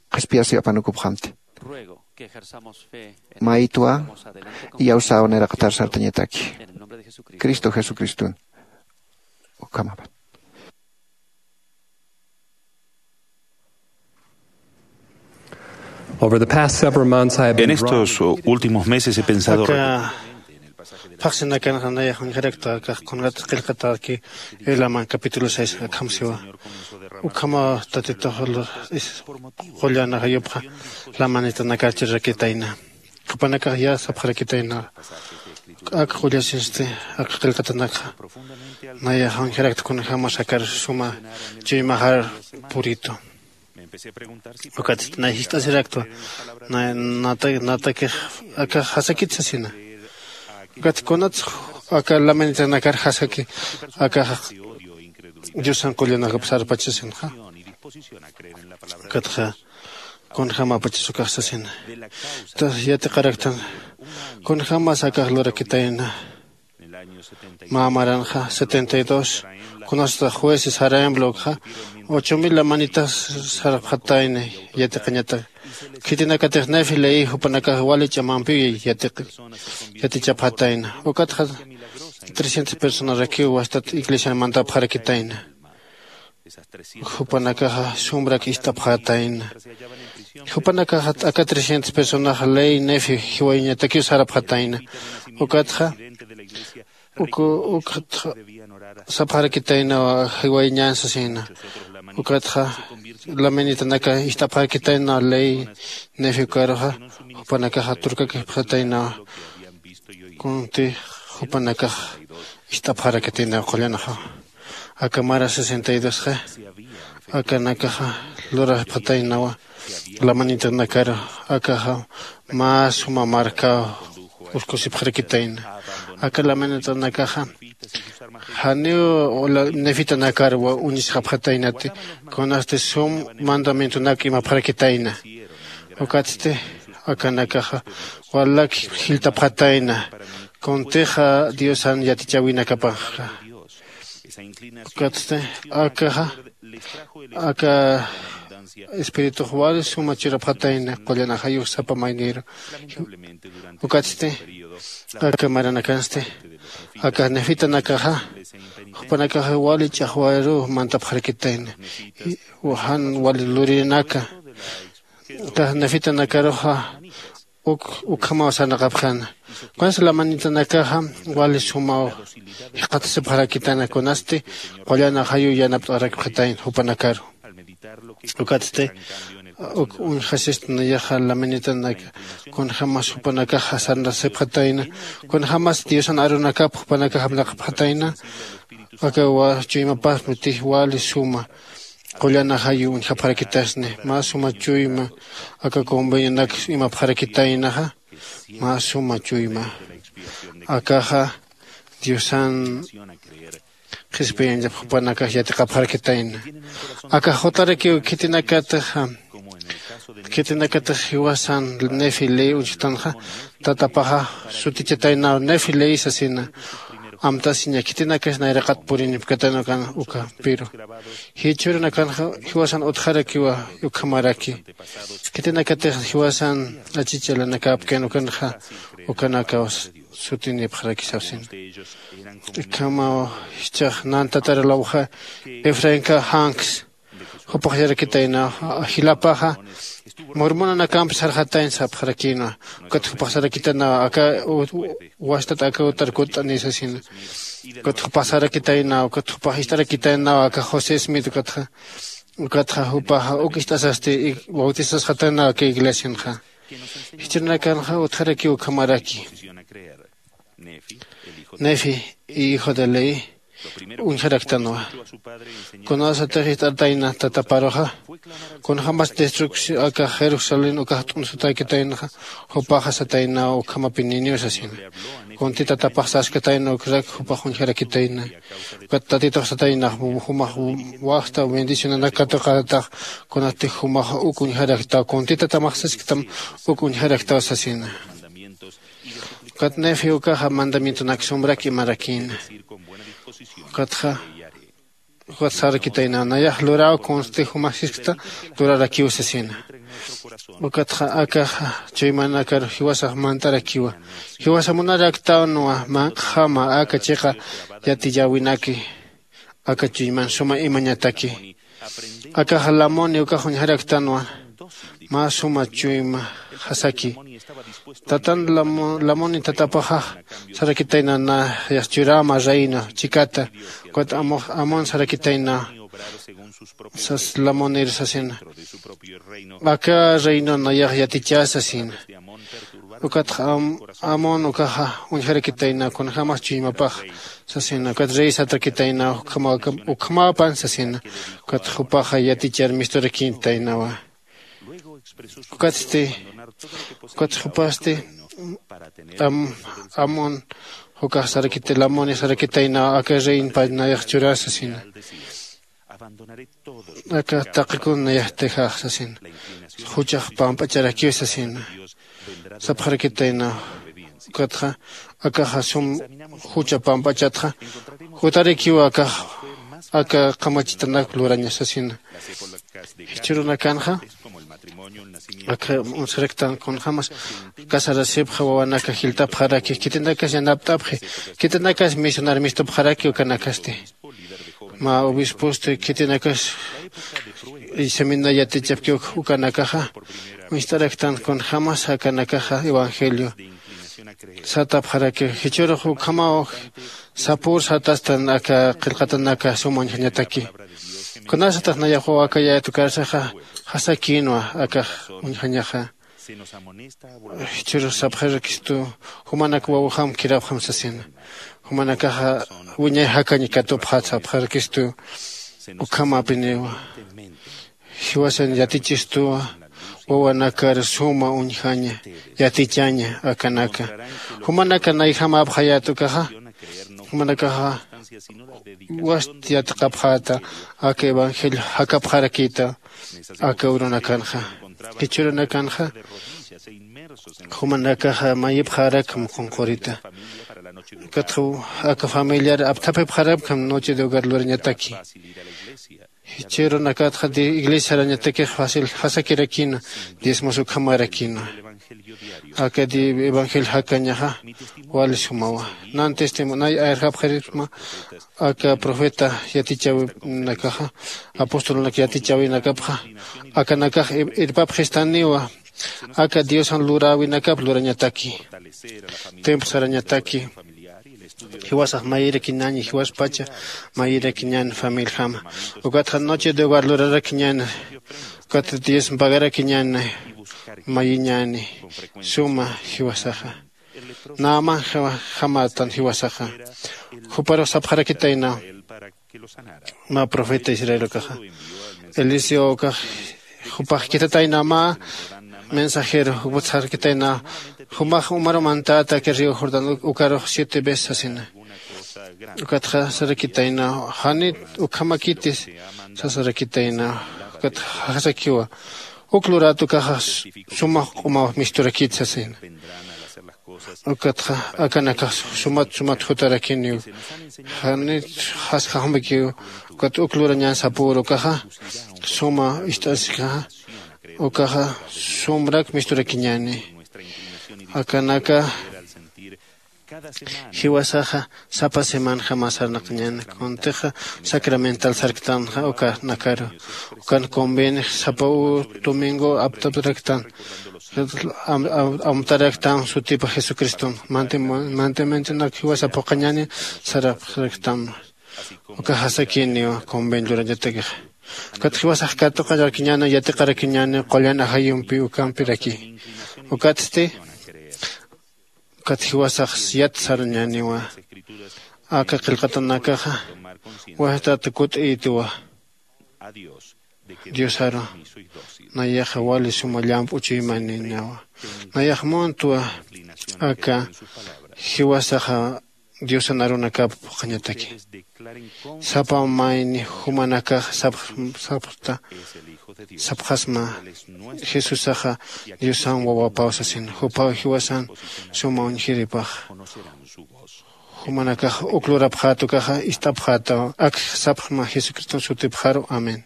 qhispiyasiw apanukupxamti. Maytwa iyawsäw nayraqatar sartañataki. Cristo jesucriston. Ukhamapan. Over the past several months, I have En been drawn estos uh, últimos meses he pensado aka phaxsinakanxa nayax uñjarakta akax kunat qillqatäki. Elaman capítulo seis akham siwa. Ukhama tatitux qullanaxa yupxa lamanitanakarchirarakitayna. Jupanakax ya sapxarakitayna ak qullasinsti aka qillqatanakxa. Nayax uñjarakta kunjämas akar suma chuymaxar puritu. Ukatsti nay jist'asiraktwa natakix akax jasakit sasina. Ukat kunats aka lamanitanakar jasaki akax diosan qullanakap sarpach sasinxa. Ukatxa kunjämapachas ukax sasina. Yatiqaraktan kunjämas akax lurakitayna. Mä maranxa setenta y dos kunasta jueces jaraemblokxa ocho mil lamanitax sarapxatayna. Yatiqañatak khitinakatix nefi leí jupanakax wali ch'amampiw yatichapxatayna. Ukatxa trescientas personarakiw wastat iglesian mantapxarakitayna. Jupanakaxa sumrak ist'apxatayna. Jupanakaxa t'aka trescientas personax ley nefi jiwayañatakiw sarapxatayna. Ukatxa uku ukatxa sapxarakitaynawa jiwayañan sasina. Ukatxa lamanitanaka ist'apxarakitayna ley nefi ukaruxa jupanakaxa turkakipxataynawa. Kunti jupanakax ist'apxarakitaynawa qullanaxa. Aka mara sesenta y dosxa akanakaxa lurapxataynawa. Lamanitanakaru akaxa mä suma markaw uskusipxarakitayna. Aka lamanitanakaxa janiw nefitanakar uñisxapxataynati kunasti sum mandamientonak imapxarakitayna. Ukatsti akanakaxa walak jilltapxatayna kuntixa diosan yatichäwinakapaxxa. Ukatsti akaxa aka espiritux wali suma churapxatayna qullanaxayux sapa mayniru. Ukatsti aka maranakansti aka nefitanakaxa jupanakaxa wali ch'axwaruw mantapxarakitayna. Jan wali lurinaka aka nefitanakaruxa uk ukhamaw sarnaqapxäna. Kunsa lamanitanakaxa wali sumaw jikxatasipxarakitana kunasti qullana jayu yanapt'arakipxatayna jupanakaru. Ukatsti uk uñjasistna yaxa lamanitanaka kunjämas jupanakaxa sarnaqsipxatayna kunjämas diosan arunakap jupanakax apnaqapxatayna. Aka chuymapasmi tij wali suma qullana jayu uñjapxarakitasni mä suma chuyma aka convenionak imapxarakitaynaxa. Mä suma chuyma akaxa diosan qhispiyañap jupanakax yatiqapxarakitayna. Akax jutarakiw khitinakatix khitinakatix jiwasan nefi ley uñchtanxa tatapaxa sutichataynaw nefi ley sasina. Amtasiña khitinakas nayraqat purinipkatayna ukan uka piru jichhürunakanxa jiwasan utjarakiwa. Ukhamaraki khitinakatix jiwasan achich'alanakäpkän ukanxa ukanakaw sutinipxarakisapsin. Ikhamaw jichhax nan tataralawxa efrainka janks jupax yarakitaynaw jilapaxa murmunanakamp sarxatayna sapxarakïnwa. Ukat jupax sarakitaynaw aka wastat aka utar kutt'ani sasina. Ukat jupax sarakitaynaw ukat jupax ist'arakitaynaw aka josé smith ukatxa ukatxa jupaxa uk ist'asasti bautisasxataynaw aka iglesianxa. Jichhürunakanxa utjarakiw ukhamaraki nefi y hijo de ley uñjaraktanwa. Kunasatix ist'artayna tataparuxa kunjämas destrucción aka jerusalén ukax t'unsutaykitaynxa jupaxa sataynaw ukhamapininiw sasina. Kunti tatapax saskatayna ukrak jupax uñjarakitayna. Ukat tatitux sataynax jumax waxta bendicionanak katuqatax kunatix jumax uk uñjaraktaw kunti tatamax sasktam uk uñjaraktaw sasina. Ukat nefi ukaxa mandamientonak sumrak imarakïna. Ukatxa ukat sarakitayna nayax luraw kunsti jumax siskta lurarakiw sasina. Ukatxa akaxa chuymanakar jiwasax mantarakiwa. Jiwasa munaraktanwa manq'jama aka chiqa yatiyäwinaki aka chuyman suma imañataki. Akaxa lamuni ukax uñjaraktanwa mä suma chuyma jasaki. Tatan lamoni tatapaxax sarakitayna na yaxchurama reino chikata. Ukat amon sarakitayna sas lamonir sasina. Aka reino nayax yatichä sasina. Ukatxa amon ukaxa uñjarakitayna kunjämas chuymapax sasina. Ukat rey satrakitayna ukhamapan sasina. Ukat jupaxa yatichar misturakitaynawa. Ukatsti ukat jupasti amon jukax sarakitay lamoni sarakitayna aka reino pachnayax churä sasina. Aka taqikun nayaxtixax sasina. Juchax pamp'acharakiw sasina. Sapxarakitayna ukatxa akaxa sum jucha pamp'achatxa jutarikiw akax aka qamachitanak luraña sasina. Jichhürunakanxa aka unsaraktan kunjämas casarasipxa wawanaka jiltapxaraki khitinakas yanapt'apxi. Khitinakas misionar mistupxaraki ukanakasti. Mä obisposti khitinakas isamina yatichapki ukanakaxa uñst'araktan kunjämas akanakaxa evangelio satapxaraki. Jichhürux ukhamaw sapür satastan aka qillqatanaka suma uñjañataki. Kunasatix nayax wawakayät ukarsaxa jasakïnwa akax uñjañaxa. Jichhürux sapxarakistu jumanak wawjam kirapxam sasina. Jumanakaxa wiñay jakañ katupxät sapxarakistu. Ukhamapiniwa jiwasan yatichistuwa wawanakar suma uñjaña yatichaña akanaka. Jumanaka nayjamapxayät ukaxa jumanakaxa wast yatiqapxäta aka evangelio jakapxarakïta aka urunakanxa. Jichhürunakanxa jumanakaxa mayipxarakam qunqurita. Ukatxa aka familiar apthapipxarakam noche de hogar lurañataki. Jichhürunakatxa iglesiarañatakix fácil jasakirakïna diezmos ukhamarakïna. Aka evangelio jakañaxa wali sumawa. Nan testimonay ayarjapxaritma aka profeta yatichäwinakaxa apostolnak yatichäwinakapxa akanakax irpapxistaniwa. Aka diosan luräwinakap lurañataki temp sarañataki jiwasax mayirakiñäni jiwaspacha mayirakiñäni familjama. Ukatxa noche de hogar lurarakiñäni ukat dios pagarakiñäni mayiñäni suma jiwasaxa naman jamatan jiwasaxa. Juparux sapxarakitayna mä profeta israel ukaxa eliseo ukax jupax kitatayna mä mensajero juput sarkitayna jumax umaru mantäta aka río jordán ukarux siete veces sasina. Ukatxa sarakitayna janit ukhamakitis sasarakitayna. Ukatxa jasakiwa uk lurat ukaxa sumax q'umaw misturakit sasina. Ukatxa akanakax sumat sumat jutarakiniw janit jasjaxmakiw. Ukat uk lurañan sapürukaxa suma ist'asikaxa ukaxa sumrak misturakiñäni. Akanaka jiwasaxa sapa semanjama sarnaqañäni kuntixa sacramental sarktanxa ukanakaru ukan convenix sapa domingo aptapraktan amtaraktan sutipa jesucriston mantementonak jiwasa phuqhañäni sarapxaraktan. Uka jasakiniw convenio lurañatakixa ukat jiwasax katuqarakiñäni yatiqarakiñäni qullan ajayumpi ukampiraki. Ukatsti ukat jiwasax yat sarañäniwa aka qillqatanakaxa wajtat kut'iytiwa diosaru nayaxa wali suma llamp'u chuymaninawa. Nayax muntwa aka jiwasaxa diosan arunakap phuqhañataki sapa mayni jumanakax sapxta sapxasma jesusaxa diosan wawapaw sasin jupaw jiwasan suma uñjiripax. Jumanakax uk lurapxät ukaxa ist'apxätaw ak sapxma jesucriston sutipxaru amén.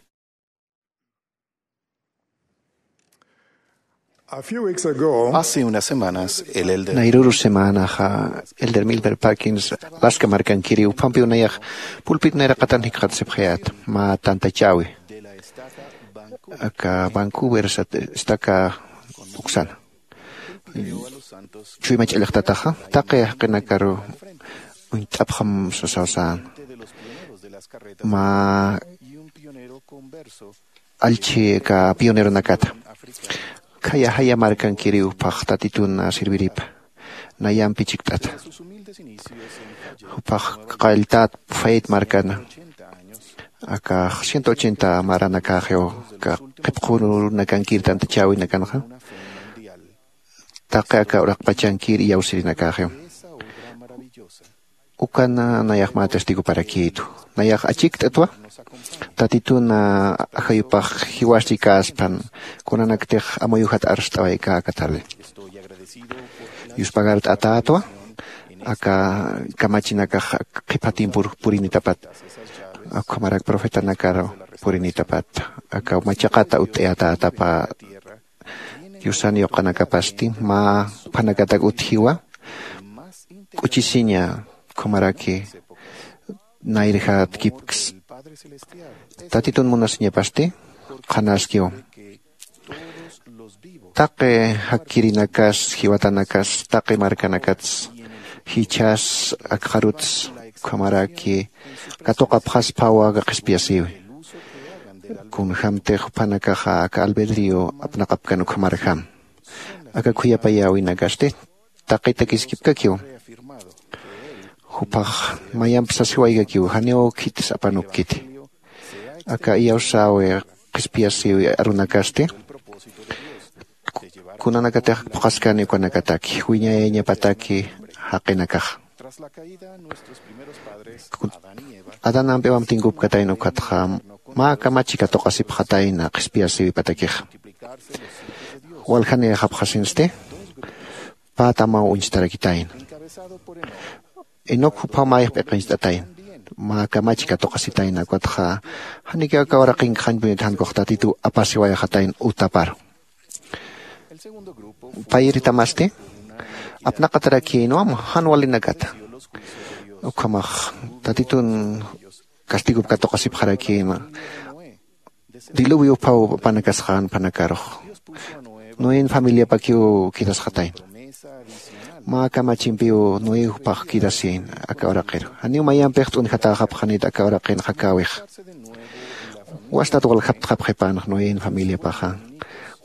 Hace unas semanas el elder nayruru semanaxa elder milber parkins laska markankiri uphampi unayax pulpit nayraqatan jikxatasipxayät mä tantachäwi. Aka Vancouver sat- istaka uksana. Chuyma ch'allaqtataxa taqi jaqinakaru uñt'apxam sasaw sän. Mä allchhi aka pioneronakata. Khaya jaya markankiriw phax tatitun sirviripa. Nayampi chikt'ata. Juphax qalltät fayt markana. Aka ciento ochenta maranakaxiw aka qhipxunakankir tantachäwinakanxa. Taqi aka uraqpachankir iyawsirinakaxiw. Ukan nayax mä testiguparakïtu. Nayax achikt'atwa tatitun ajayupax jiwasti käspan kunanaktix amuyujat arst'awaykä aka tarde. Yuspagart'atätwa aka kamachinakax qhipha timpur purinitapat. Ukhamarak profetanakar purinitapat aka machaqata utt'ayatätapa. Diosan yuqanakapasti mä juphanakatak utjiwa k'uchisiña. Ukhamaraki nayrjatkipks tatitun munasiñapasti qhanaskiw. Taqi jakkirinakas jiwatanakas taqi markanakats jichhas akxaruts ukhamaraki katuqapxasphawa aka qhispiyasïwi. Kunjämtix juphanakaxa aka albedrio apnaqapkan ukhamarjam. Aka khuyapayäwinakasti taqitakiskipkakiw. Juphax mayamp sasiwaykakiw janiw khitis apanukkiti. Aka iyawsäwi qhispiyasïwi arunakasti kunanakatix phuqhaskani ukanakataki wiñayañapataki jaqinakaxa. Adán ampiwamp tinkupkatayna ukatxa mä kamachi katuqasipxatayna qhispiyasïwipatakixa. Waljanïxapxasinsti pä tamaw uñstarakitayna. Enoc juphaw mayix p'iqincht'atayna mä kamachi katuqasitayna ukatxa janikiw aka uraqinkax jañpunit jankux tatituw apasiwayxatayna utaparu. Payiritamasti apnaqatarakïnwa jan walinakata. Ukhamax tatitun castigop katuqasipxarakïna. Diluvio uphaw panakasxän phanakarux noen familiapakiw quedasxatayna. Mä kamachimpiw noé juphax quedasïna aka uraqiru janiw mayampix t'unjatäxapxanit aka uraqin jakäwixa. Wastat waljaptxapxipänx noen familiapaxa.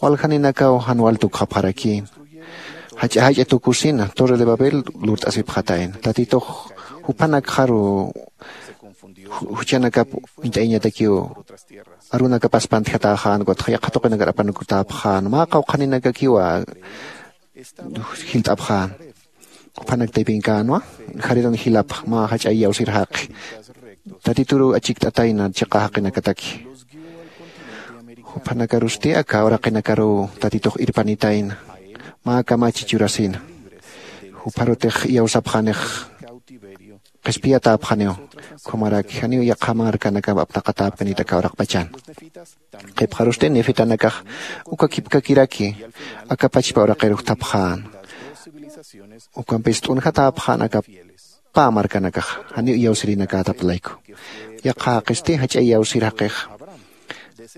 Waljaninakaw jan wal tukxapxarakïna. Jach'a jach'a tukusina torre de babel lurt'asipxatayna tatitux juphanakxaru juchanakap uñt'ayañatakiw. Arunakapas pantjatäxän ukatxa yaqha tuqinakar apanukutäpxän mä qawqhaninakakiwa jilt'apxän. Juphanak taypinkänwa jariran jilapx mä jach'a iyawsir jaqi tatituruw achikt'atayna chiqa jaqinakataki. Juphanakarusti aka uraqinakaruw tatitux irpanitayna mä kamachi churasina. Jupharutix iyawsapxänix qhispiyatäpxaniw. Ukhamaraki janiw yaqha markanakamp apnaqatäpkanit aka uraqpachan. Qhipxarusti nefitanakax uka kipkakiraki aka pachpa uraqir jutapxän. Ukampis t'unjatäpxän aka pä markanakax janiw iyawsirinakätap layku. Yaqha jaqisti jach'a iyawsir jaqix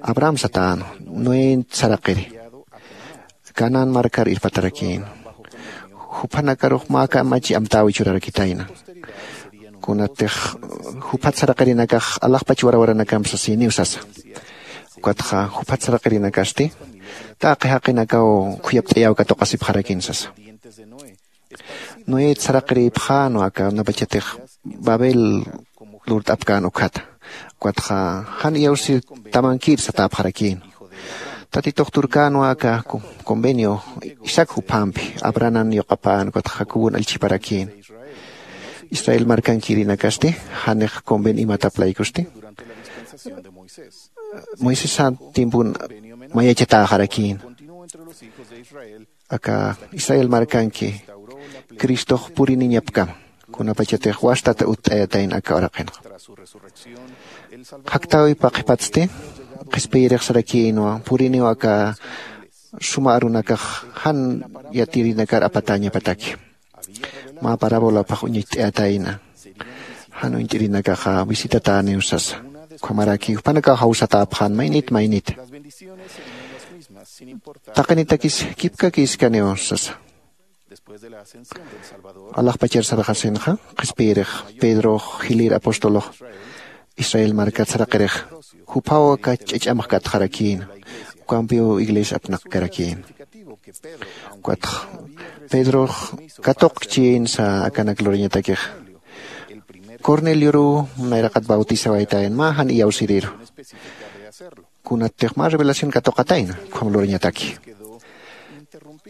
abraham satänwa noé saraqiri. Canaán markar irpatarakïn. Juphanakarux mä kamachi amtäwi churarakitayna. Kunatix juphat saraqirinakax alaxpach warawaranakamp sasïniw sasa. Ukatxa juphat saraqirinakasti taqi jaqinakaw khuyapt'ayäw katuqasipxarakin sasa. Noet saraqirïpxänwa aka unapachatix babel lurt'apkän ukhata. Ukatxa jan iyawsir tamankir satäpxarakïn. Tatitux turkänwa aka convenio isaac juphampi abrahanan yuqapän ukatxa jacobon allchhiparakïn. Israel markankirinakasti janix conven imatap laykusti moisés timpun mayachatäxarakïn. Aka israel markanki cristox puriniñapkama kunapachatix wastat utt'ayatayna aka uraqinxa. Jaktäwipa qhipatsti qhispiyirix sarakïnwa puriniw aka suma arunakax jan yatirinakar apatäñapataki. Mä parabolapx uñacht'ayatayna jan uñt'irinakaxa visitatäniw sasa. Ukhamaraki jupanakaw jawsatäpxän maynit maynit. Taqinitakis kipkakiskaniw sasa. Alaxpachar sarxasinxa qhispiyirix pedrox jilir apostolox israel markat saraqirix juphaw aka ch'ach'amx katxarakïna. Ukampiw iglesia apnaqkarakïna. Ukatx pedrox katuqkchïnsa akanak lurañatakix cornelioruw nayraqat bautisawaytayan mä jan iyawsiriru. Kunattix mä revelación katuqatayna ukham lurañataki.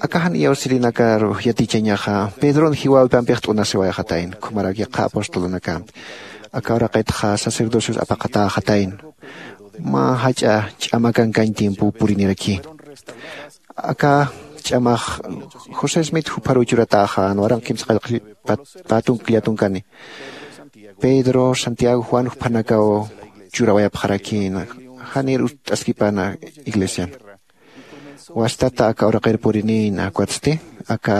Aka jan iyawsirinakaru yatichañaxa pedron jiwawipampix t'unasiwayxatayna ukhamarak yaqha apostolunakampi. Aka uraqitxa sacerdocios apaqatäxatayna mä jach'a ch'amakankañ tiempo purinirakïna. Aka ch'amax josé smit jupharuw churatäxän waranq kimsa qallqi pätunk llatunkani. Pedro santiago juan juphanakaw churawayapxarakïna. Janir utt'askipana iglesian wastata aka uraqir purinïna ukatsti aka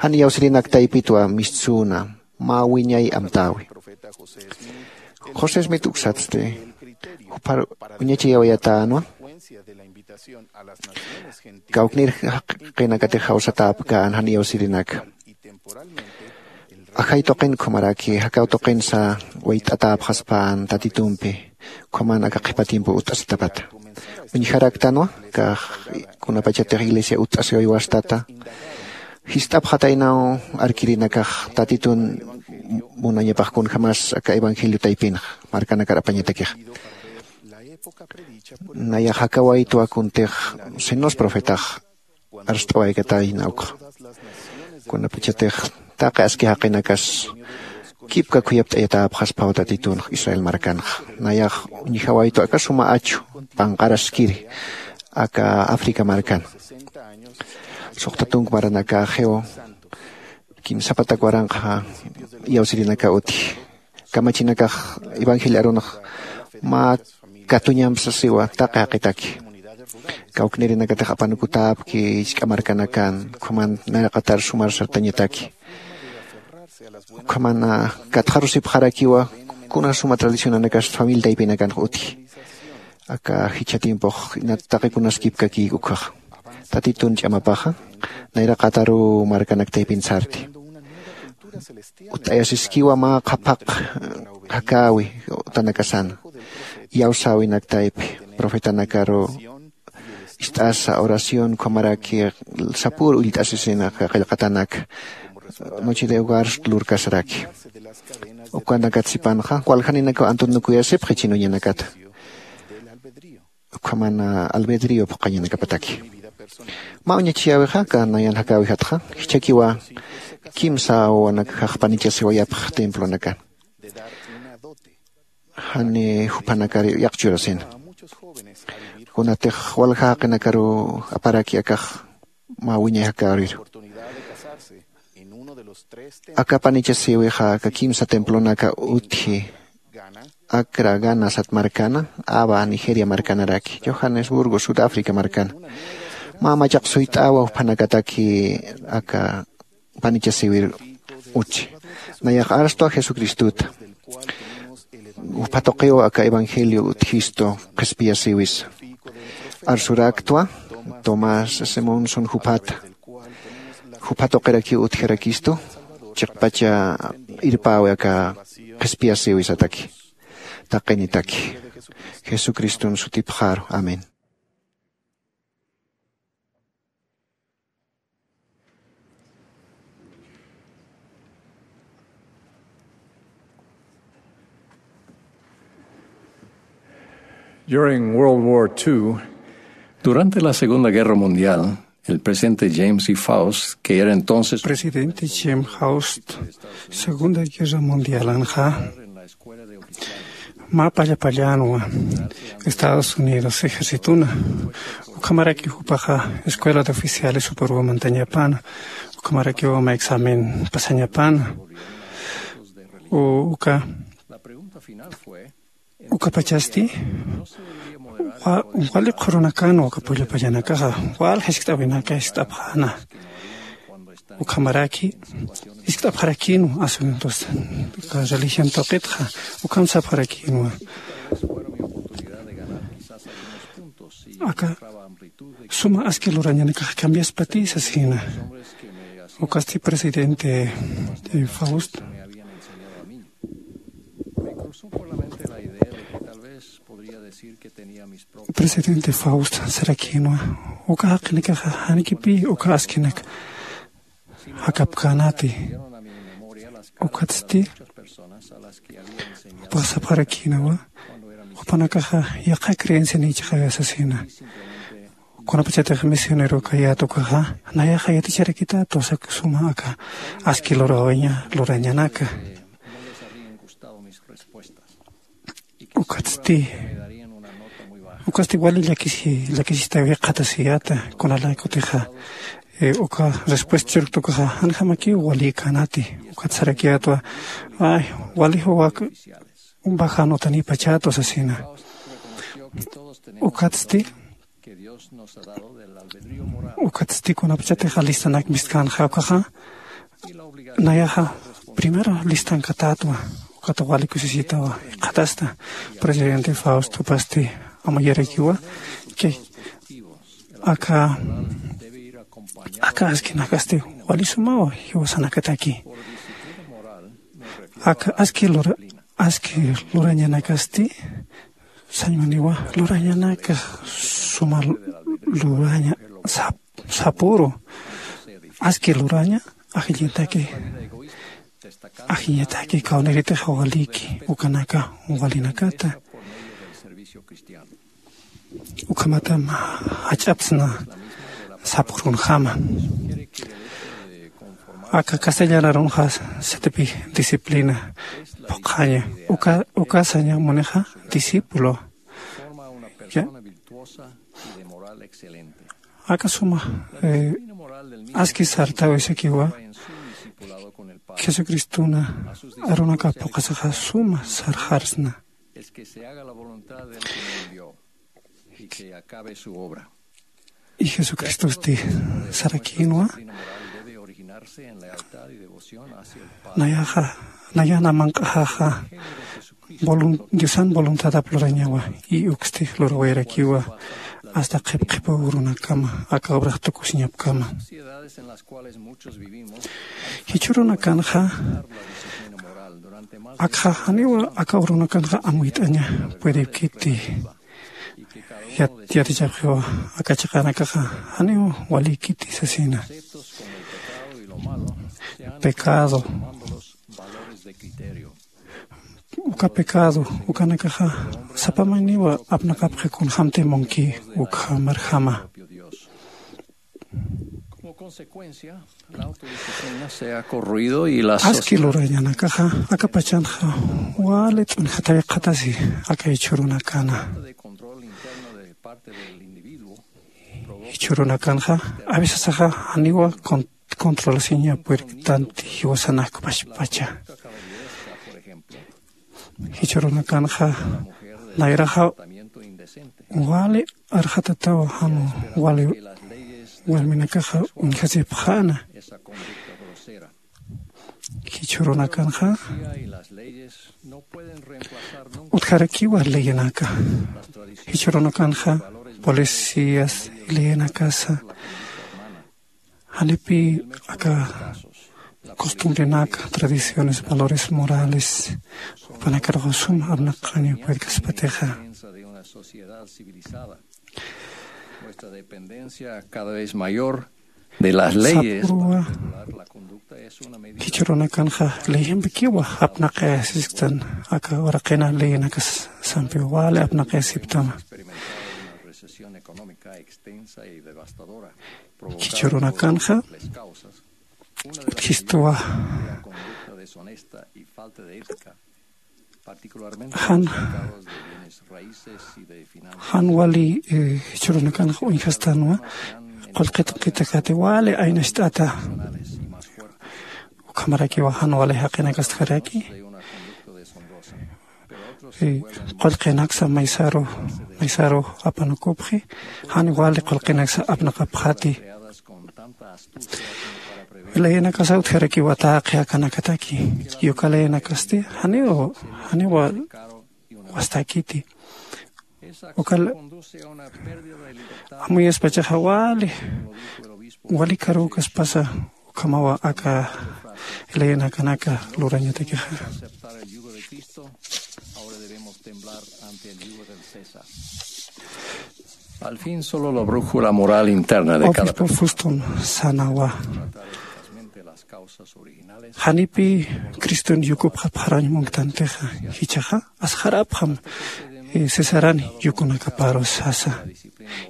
jan iyawsirinak taypitwa mistsuna mä wiñay amtäwi. José smit uksatsti juphar uñachayawayatänwa. Kawknir jaqinakatix jawsatäpkän jan iyawsirinaka ajay tuqin ukhamaraki jakaw tuqinsa wayt'atäpxaspän tatitumpi. Ukhaman aka qhipa tiempo utt'asitapata uñjaraktanwa kax kunapachatix iglesia utt'asiway wastata jist'apxataynaw arkirinakax tatitun munañapax kunjämas aka evangelio taypinx markanakar apañatakixa. Nayax jakawaytwa kuntix sinos profetax arst'awaykatayna ukxa kunapachatix taqi aski jaqinakas kipka khuyapt'ayatäpxasphaw tatitunx israel markanxa. Nayax uñjawaytwa aka suma achu panqaraskiri aka africa markan suxta tunk maranakaxiw kimsapatak waranqa iyawsirinaka utji. Kamachinakax evangelio arunx mä katuñamp sasiwa taqi jaqitaki kawknirinakatix apanukutäpki jisk'a markanakan ukhaman nayraqatar sumar sartañataki. Ukhaman katxarusipxarakiwa kuna suma tradicionanakas familia taypinakanx utji. Aka jichha tiempox taqikunas kipkakïk ukkhaxa tatitun ch'amapaxa nayraqataruw markanak taypin sarti. Utt'ayasiskiwa mä qhaphaq jakäwi utanakasana iyawsäwinak taypi profetanakaru ist'asa oración ukhamaraki sapür ullt'asisina qillqatanak noche de hogar lurkasaraki. Ukanakat sipanxa waljaninakaw antunukuyasipxi chhina uñanakata ukhaman albedrio phuqañanakapataki. Mä uñachiyäwixa aka nayan jakäwijatxa jichhakiwa kimsa wawanakjax panichasiwayapx templonakan jani juphanakar yaqchurasina. Kunatix walja jaqinakaruw aparaki akax mä wiñay jakäwiru. Aka panichasïwixa aka kimsa templonaka utji acra gana sat markana ava nigeria markanaraki johannesburgo sudáfrica markana. Mä machaq suyt'awa juphanakataki aka panichasïwir utji. Nayax arstwa jesucristuta jupha tuqiw aka evangelio utjistu qhispiyasïwisa. Arsuraktwa tomás simonson juphata jupha tuqirakiw utjarakistu chiqpacha irpäwi aka qhispiyasïwisataki taqinitaki jesucriston sutipxaru amén. During World War two, durante la Segunda Guerra Mundial, el presidente James E. Faust, que era entonces presidente James Faust, Segunda Guerra Mundialanxa mä pallapallanwa Estados Unidos ejercituna. Ukhamaraki jupaxa escuela de oficiales juparuwa mantañapana. Ukhamarakiwa mä examen pasañapana. Uka ukapachasti wali qhurunakanwa uka pullapallanakaxa wal jiskt'awinaka jiskt'apxäna. Ukhamaraki jiskt'apxarakïnwa asuntos religión tuqitxa ukham sapxarakïnwa. Aka suma aski lurañanakax cambiaspati sasina. Ukasti presidente eh, Faust, presidente Faust sarakïnwa, uka jaqinakaxa janikipï uka askinak jakapkänati. Ukatsti jupax sapxarakïnawa, jupanakaxa yaqha creencianïchixaya sasina. Kunapachatix misionerokäyät ukaxa, nayaxa yaticharakität tusa suma aka aski lurawaña lurañanaka. Ukatsti ukatsti wali llakisi llakisitaw jikxatasiyäta. Kunalaykutixa eh, uka respuesta churkta ukaxa janjamakiw walïkänati. Ukat sarakiyätwa, ay, walixa wak bajan utanïpachätwa sasina. Ukatsti ukatsti kunapachatixa listanak mistkänxa ukaxa, nayaxa primero listankatätwa. Ukat wali kusisitawa jikxatasta. Presidente Faust jupasti amuyarakiwa que aka aka askinakasti wali sumaw jiwasanakataki. Aka aski lura aski lurañanakasti sañmaniwa lurañanaka suma luraña sap sapüru aski luraña ajiñataki ajiñataki kawniritixa walïki ukanaka walinakata. Ukhamatam jach'apsna sapxurunjama. Aka castellan arunxa satipi disciplina phuqhaña uka uka saña munixa discípulo. Ya aka suma eh, aski sartawisakiwa jesucristuna arunaka phuqhasaxa suma sarxarsna. Es que se haga la voluntad del que me envió y que acabe su obra. Y jesucristosti sarakïnwa, nayaxa nayana manq'axaxa diosan voluntadap lurañawa. Y uksti lurawayarakiwa asta qhipqhipuw runakama aka obrax tukusiñapkama. Jichhürunakanxa akxa janiwa aka urunakanxa amuyt'aña puedipkiti. Yatichapxiwa aka chiqanakaxa janiw walïkiti sasina. Pecado uka pecado ukanakaxa sapamaniwa apnaqapxi kunjämti munki ukhamarjama. Aski lurañanakaxa aka pachanxa wali t'unjatawi qhatasi aka jichhürunakana. Jichhürunakanxa a veces axa janiwa controlasiña puertanti jiwasanakpachpacha. Jichhürunakanxa nayraxa wali arxatatawa jan wali warminakaxa uñjasipxäna. Jichhürunakanxa utjarakiwa leyenaka. Jichhürunakanxa policías leyenakasa janipï aka costumbrenaka tradiciones valores morales jupanakaruxa suma apnaqaña puedkaspatixa. Nuestra dependencia cada vez mayor de las leyes. Sapüruwa jichhürunakanxa leyampikiwa apnaqayasisktan aka uraqina leyenakas sampiw wali apnaqayasiptama. Jichhürunakanxa utjistuwa jan jan wali jichhürunakanxa uñjastanwa qullqi tuqitakati wali aynacht'ata. Ukhamarakiwa jan wali jaqinakastjaraki qullqinaksa maysaru maysaru apanukupxi jan wali qullqinaksa apnaqapxati. Leyenakasa utjarakiwa taqi akanakataki. Yuka leyenakasti janiw janiwa wastakiti. Ukal amuyaspachaxa wali wali karukaspasa ukhamawa aka leyinakanaka lurañatakixa. Al fin solo la brújula moral interna de cada Obispo Fuston sanawa. Janipi criston yukupxapxarañ munktantixa jichaxa asxarapxam. Cesarani yukunakaparu sasa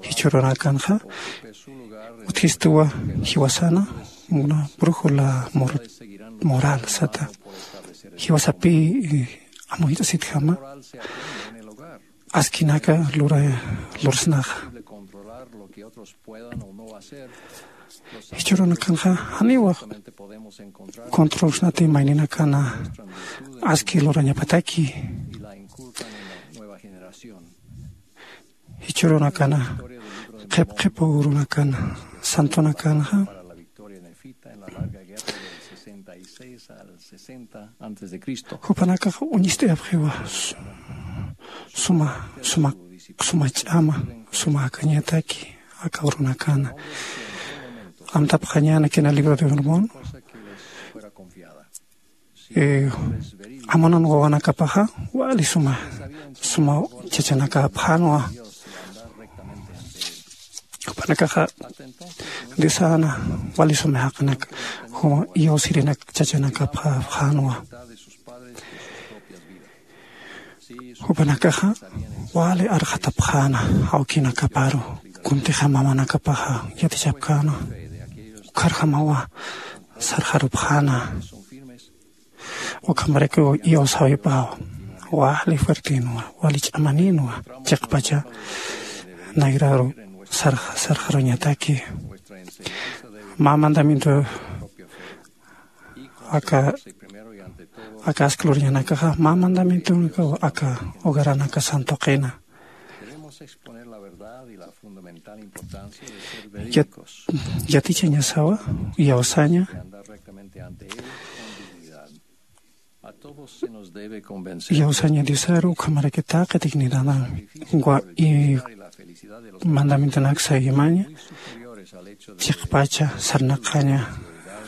jichhurunakanxa utjistuwa jiwasana una brújula moral sata jiwasapi amuyt'asitjama askinaka lura lursnaxa. Jichhurunakanxa janiwa controlsnati mayninakana aski lurañapataki. Jichhurunakana qhipqhipu urunakana santunakanxa jupanakax uñist'ayapxiwa suma suma suma ch'ama suma akañataki aka urunakana amtapxañäna kina libro de hormón. Amunan wawanakapaxa wali suma suma chachanakapxänwa. Jupanakaxa diosana wali suma jaqinaka juma iyawsirinak chachanakapxänwa. Jupanakaxa wali arxatapxäna awkinakaparu kuntixa mamanakapaxa yatichapkäna ukharjamawa sarxarupxäna. Ukhamarakiw iyawsäwipaw wali fuertenwa wali ch'amaninwa chiqpacha nayraru sarxaruñataki. Mä mandamiento aka aka asklurñanakaxa mä mandamientonakaw aka hogaranaka santuqina. Yatichañasawa iyawsaña iyawsaña diosaru ukhamaraki taqi dignidadami. Mandamientonak sayimaña chiqpacha sarnaqaña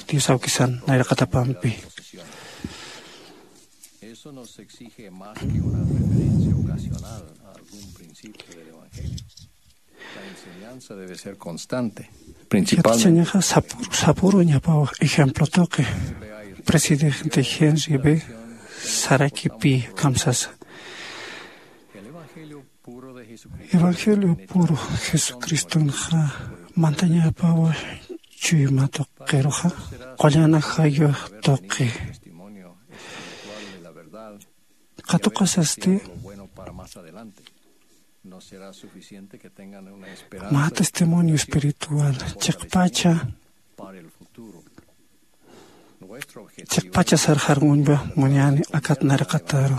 dios awkisan nayraqatapampi. Eso nos exige más que una referencia ocasional a algún principio del evangelio. La enseñanza debe ser constante. Principalmente sapuru ñapaw ejemplo toqi presidente Henry B sarakipi kamsasa. Evangelio puro jesucristonxa mantañapawa chuymatuqiruxa qullana jayux tuqi. Qatuqasasti mä testimonio espiritual chiqpacha chiqpacha sarxarmuñpa muñani akat narqataru.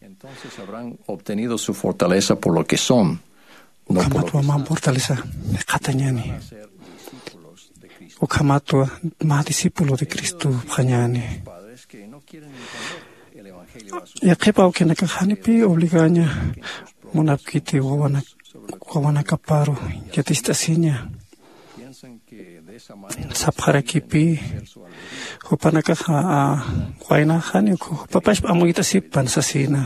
Entonces habrán obtenido su fortaleza por lo que son. Ukhamatwa mä fortaleza miqhatañani. Ukhamatwa mä discípulo de cristopxañani. Yaqhipa awkinakax janipi obligaña munapkiti wawanakaparu yatist'asiña. Sapxarakipi jupanakaxa waynaxani ukhu jupapashpa amuyt'asipan sasina.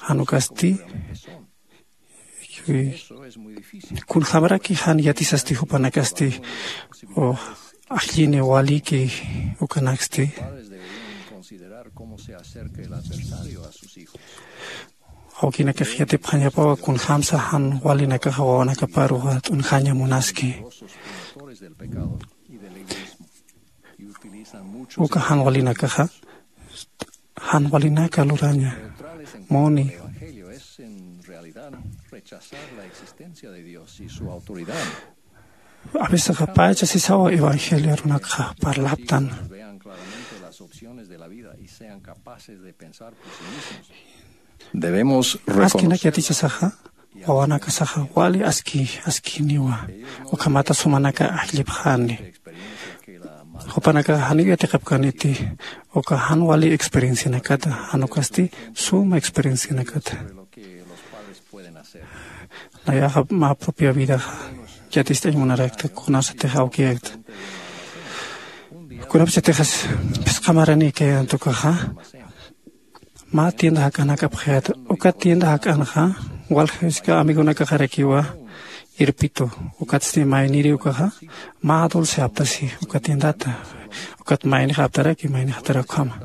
Jan ukasti kunjämaraki jan yatisasti jupanakasti ajllini waliki ukanaksti. Awkinakax yatipxañapawa kunjämsa jan walinakaxa wawanakaparu t'unjaña munaski. Uka jan walinakaxa jan walinaka luraña muni. Avecesaxa pacha sisawa evangelio runakxa parlaptan. Askinak yatichasaxa wawanakasaxa wali aski askiniwa. Ukhamata sumanaka ajllipxani. Jupanakaxa janiw yatiqapkaniti uka jan wali experiencianakata, jan ukasti suma experiencianakata. Nayaxa mä propia vidaxa yatist'añ munarakta kunasatix awkiyakta. Kunapachatixas phisqamarani kayant ukaxa mä tienda jak'anakapxayata. Uka tienda jak'anxa walja iska amigonakaxarakiwa irpitu. Ukatsti mayniri ukaxa mä dulce aptasi uka tiendata. Ukat maynix aptaraki maynix aptarakjama.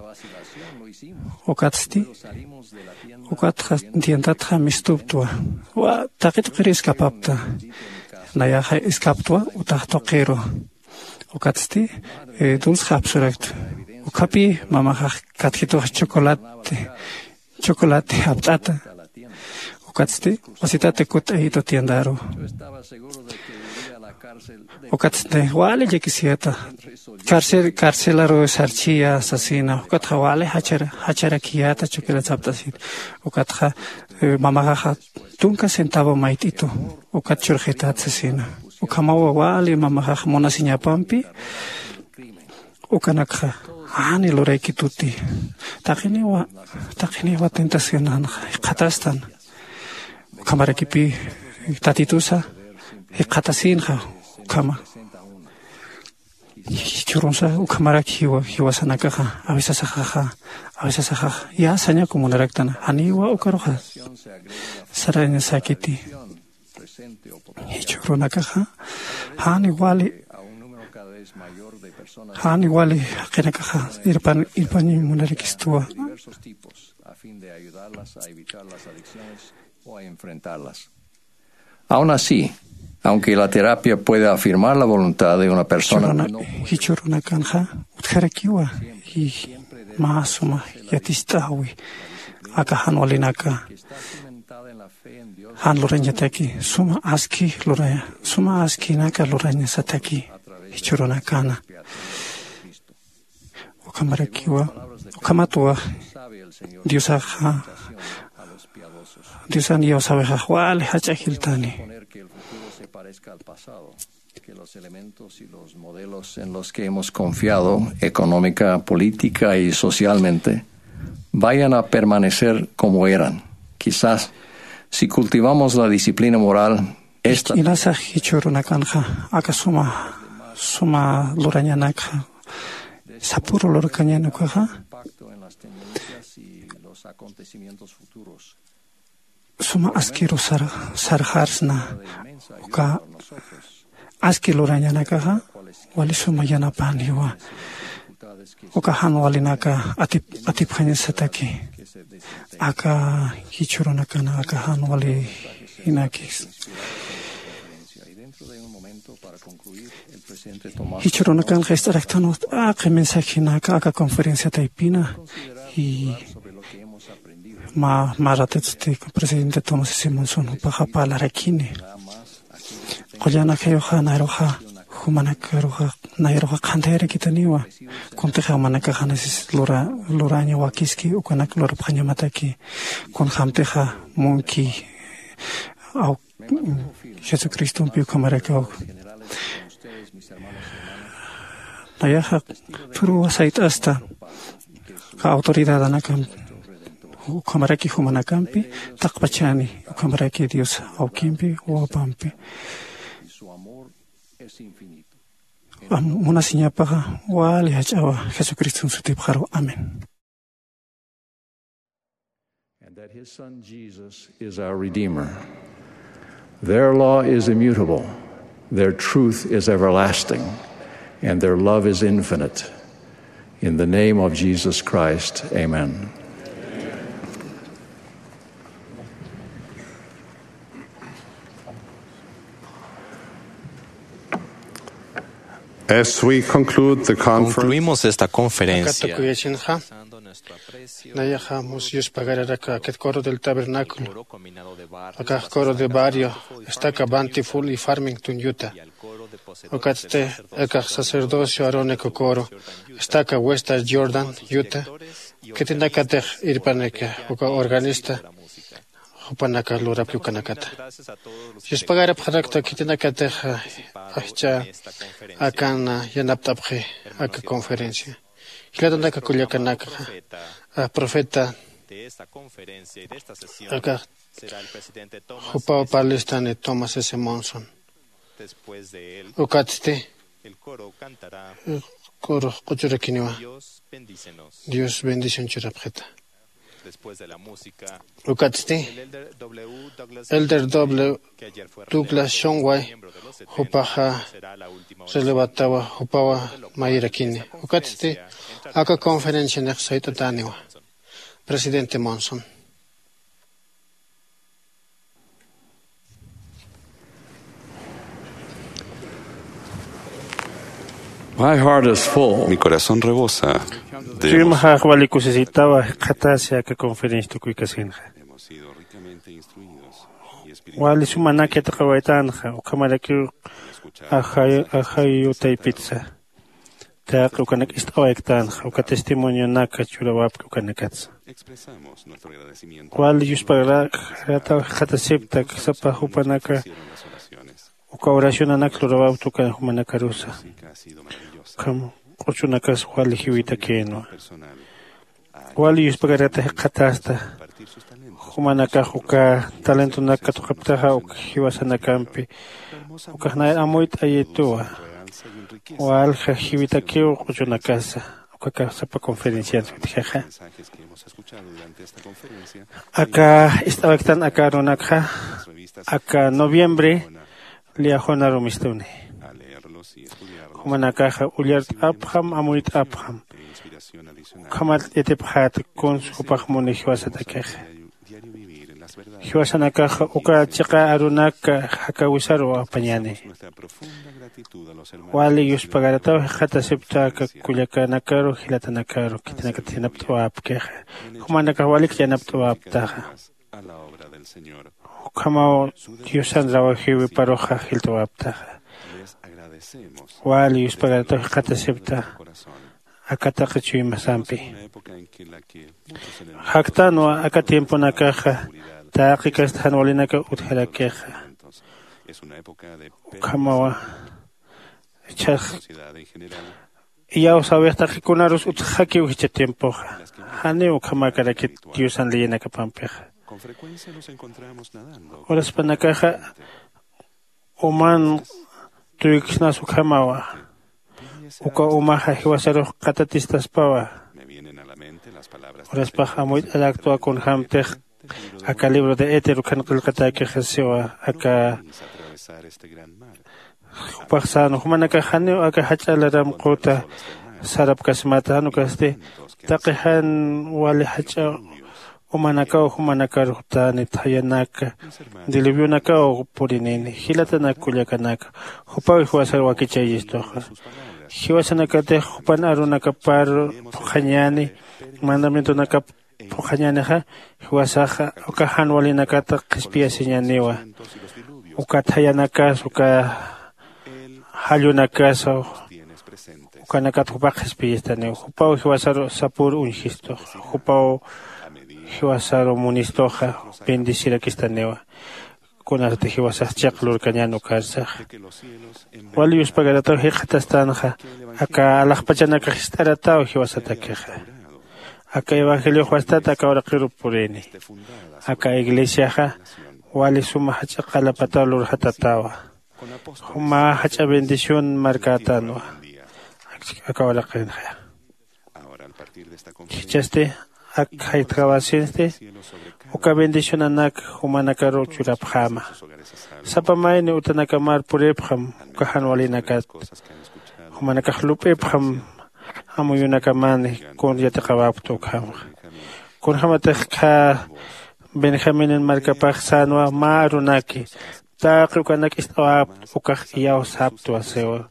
Ukatsti ukatxa tiendatxa mistuptwa. Taqi tuqiri iskapapta. Nayaxa iskaptwa utax tuqiru. Ukatsti dulce apsurakta. Ukhapi mamaxax katjituxa chocolate chocolate apt'ata. Ukatsti wasitata kutt'ayitu tiendaru. Ukatsti wali llakisiyata. Carcelaru sarchiya sasina ukatxa wali jacharakiyata chocolate apt'asit. Ukatxa mamaxaxa tunka centavo mayt'itu ukat churxitat sasina. Ukhamawa wali mamaxax munasiñapampi ukanakxa jani luraykituti. Taqiniwa taqiniwa tentacionanxa jikxatastan. Ukhamarakipi tatitusa jikxatasinxa ukhama. Jichhürunsa ukhamaraki jiwasanakaxa avisasaxaxa avisasaxax ya sañaku munaraktan janiwa ukaruxa sarañasakiti. Jichhürunakaxa jani wali jani wali jaqinakaxa irpañiñ munarakistuwa. Aun así, aunque la terapia puede afirmar la voluntad de una persona, jichhürunakanxa utjarakiwa y mä suma yatist'äwi aka jan walinaka jan lurañataki suma aski luraña suma askinaka lurañasataki jichhürunakana. Ukhamarakiwa ukhamatwa diosaxa diosan iyawsäwixax wali jach'a jiltani. Que los elementos y los modelos en los que hemos confiado económica, política y socialmente vayan a permanecer como eran. Quizás si cultivamos la disciplina moral, esta inasax jichhürunakanxa aka suma suma lurañanakxa sapüru lurkañan ukaxa suma askiru sarxarsna uka aski lurañanakaxa wali suma yanapaniwa. Uka jan walinaka atipjañasataki aka jichhürunakana aka jan wali jinakis. Jichhürunakanxa ist'araktanwa t'aqi mensajinaka aka conferencia taypina y mä mä ratitsti presidente Thomas Simonson jupaxa parlarakini. Qullan ajayuxa nayruxa jumanakaruxa nayruxa qhantayarakitaniwa. Kuntixa jumanakaxa nasis luraña wakiski ukanak lurapxañamataki kunjämtixa munki jesucristompi ukhamaraki awki nayaxa phuruwa sayt'asta. Autoridadanakampi ukhamaraki jumanakampi taqpachani ukhamaraki dios awkimpi wawapampi munasiñapaxa wali jach'awa jesucriston sutipxaru amén. And that his son Jesus is our Redeemer. Their law is immutable, their truth is everlasting, and their love is infinite. In the name of Jesus Christ, amen. As we conclude the conference, concluimos esta conferencia. Nayaxa mus yuspagararak akit coro del tabernáculo. Akax coro de barrio estaka Bountiful y Farmington, Utah. Ukatsti akax sacerdocio arónico coro estaka Western Jordan, Utah. Khitinakatix irpanik uka organista jupanaka lurapki ukanakata. Yuspagarapxarakta khitinakatix ajch'a akan yanapt'apxi. aka conferencia. Jilatanaka kullakanakxa, a profeta aka jupaw parlistani Thomas S Monson. Ukatsti kurux q'uchurakiniwa. Dios bendición churapxita. Ukatsti elder w douglas shonway jupaxa relevatawa jupawa mayirakini. Ukatsti aka conferencianix sayt'atäniwa. Presidente Monson. My heart is full. Mi corazón rebosa de emoción. Chuymaxax wali kusisitawa jikxatasi aka conferencia tukuykasinxa. Hemos sido ricamente instruidos y espiritualmente. Wali sumanak yatiqawaytanxa ukhamarakiw ajayutaypitsa taqi ukanak ist'awayktanxa uka testimonionaka churawapki ukanakatsa. Wali yuspagaraxarataw jikxatasiptak sapa jupanaka uka oracionanak lurawapta uka jumanakarusa. Ukham q'uchunakas wali jiwitakïnwa. Wali yuspagarata jikxatasta jumanakax uka talentonak katuqaptaxa uk jiwasanakampi ukax nayar amuyt'ayituwa. Walja jiwitakiw q'uchunakasa ukaka sapa conferencians utjixa. Aka ist'awaktan aka arunakxa aka noviembre liajona rumistuni. Jumanakaxa ullart'apxam amuyt'apxam. Ukhamat yatipxäta kuns jupax muni jiwasatakixa. Jiwasanakaxa uka chiqa arunaka jakawisaru apañani. Wali yuspagarataw jikxatasipta aka kullakanakaru jilatanakaru khitinakatix yanapt'awapkixa. Jumanakax walikcha yanapt'awaptaxa. Ukhamaw diosan rawajiwiparuxa jilt'awaptaxa. Wali yuspagarataw jikxatasipta aka taqi chuymasampi. Jaktanwa aka tiemponakaxa taqi kasta jan walinaka utjarakixa. Ukhamawa ichhax iyawsäwix taqi kunarus utjakiw jichha tiempoxa. Janiw ukhamakarakit diosan leyinakapampixa. Uraspanakaxa uman tuyksnas ukhamawa. Uka umaxa jiwasarux qatatistaspawa. Uraspax amuyt'araktwa kunjämtix aka libro de éter ukhan qillqatäkixasiwa aka jupax sänwa jumanakax janiw aka jach'a laramquta sarapkasimata jan ukasti taqi jan wali jach'a umanakaw jumanakarux tani thayanaka diluviunakaw purinini. Jilatanak kullakanaka jupaw jiwasar wakichayistuxa. Jiwasanakatix jupan arunakapar phuqhañäni mandamientonakap phuqhañänixa jiwasaxa uka jan walinakata qhispiyasiñäniwa. Uka thayanakas uka jallunakas ukanakat jupax qhispiyistaniwa. Jupaw jiwasaru sapür uñjistuxa jupaw jiwasaru munistuxa bendecirakistaniwa. Kunasati jiwasax chiq lurkañän ukarsaxa. Wali yuspagarataw jikxatastanxa aka alaxpachanakax jist'arataw jiwasatakixa. Aka evangeliox wastat aka uraqirup purini. Aka iglesiaxa wali suma jach'a qalapataw lurjatatawa. Mä jach'a bendición markätanwa aka uraqinxa. Jichhasti ak jaytjawasinsti uka bendicionanak jumanakaru churapxäma. Sapa mayni utanakamar puripxam uka jan walinakat. Jumanakax lup'ipxam amuyunakamani kun yatiqawapkta ukhamxa. Kunjämatix khä benjaminen markapax sänwa mä arunaki taqi ukanak ist'awapkta ukax iyawsäpktwa siwa.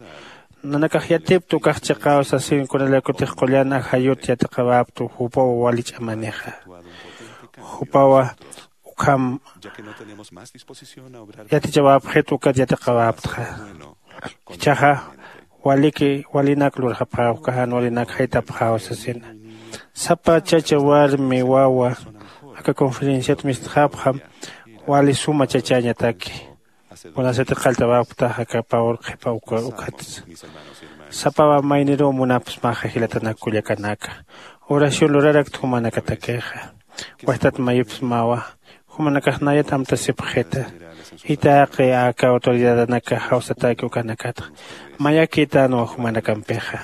Nanakax yatipkta ukax chiqaw sasin kunalakutix qullan ajayut yatiqawapkta jupaw wali ch'amanixa. Jupawa ukham yatichawapxit ukat yatiqawaptxa. Jichhaxa waliki walinak lurxapxäw uka jan walinak jaytapxäw sasina. Sapa chacha warmi wawa aka conferenciat mistxapxam wali suma chachañataki. Kunasati qalltawapkta aka pawur qhipa uka ukhatsa. Sapawa mayniruw munapsmaxa jilatanak kullakanaka. Oración lurarakta jumanakatakixa. Wajtat mayupsmawa. Jumanakax nayat amtasipxita. Itaqi aka autoridadanaka jawsataki ukanakatxa mayakïtanwa jumanakampixa.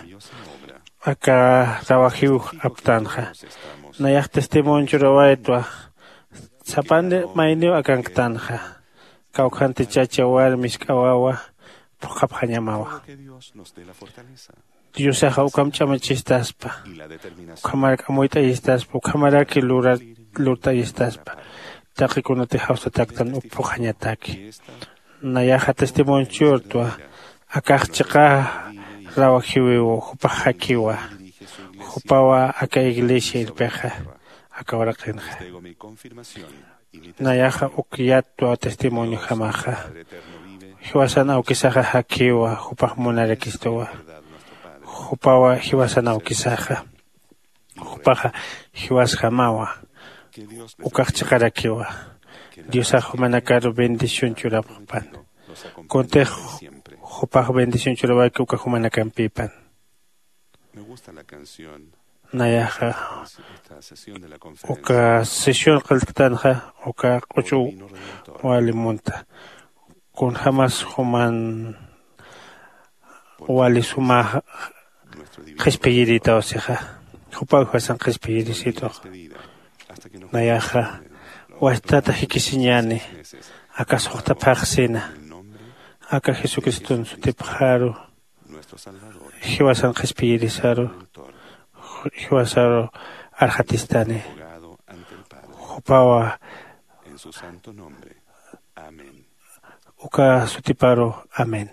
Aka rawajiw aptanxa. Nayax testimonio churawaytwa. Sapan mayniw akanktanxa. Kawkhanti chacha warmi isk'awawa phuqhapxañamawa. Diosaxa ukham ch'amachistaspa. Ukhamarak amuyt'ayistaspa ukhamarak lurt'ayistaspa. Taqi kunati jawsataktan uphuxañataki. Nayaxa testimonio churtwa. Akax chiqa rawajiwiw jupax jakiwa. Jupawa aka iglesia irpixa aka uraqinxa. Nayaxa uk yatwa testimonio jamaxa. Jiwasan awkisaxa jakiwa jupax munarakistuwa. Jupawa jiwasan awkisaxa. Jupaxa jiwasjamawa. Ukax chiqarakiwa. Diosax jumanakaru bendición churapxpan. Kuntix jupax bendición churawaki uka jumanakampipan. Nayaxa uka sesión qilltktanxa uka q'uchu wali munta. Kunjämas juman wali suma qhispiyirïtaw sixa. Jupaw jiwasan qhispiyirisituxa. Nayaxa wajtata jikisiñäni. Aka suxta phaxsina aka jesucriston sutipxaru. Jiwasan qhispiyirisaru jiwasaru arxatistani. Jupawa uka sutiparu. Amén.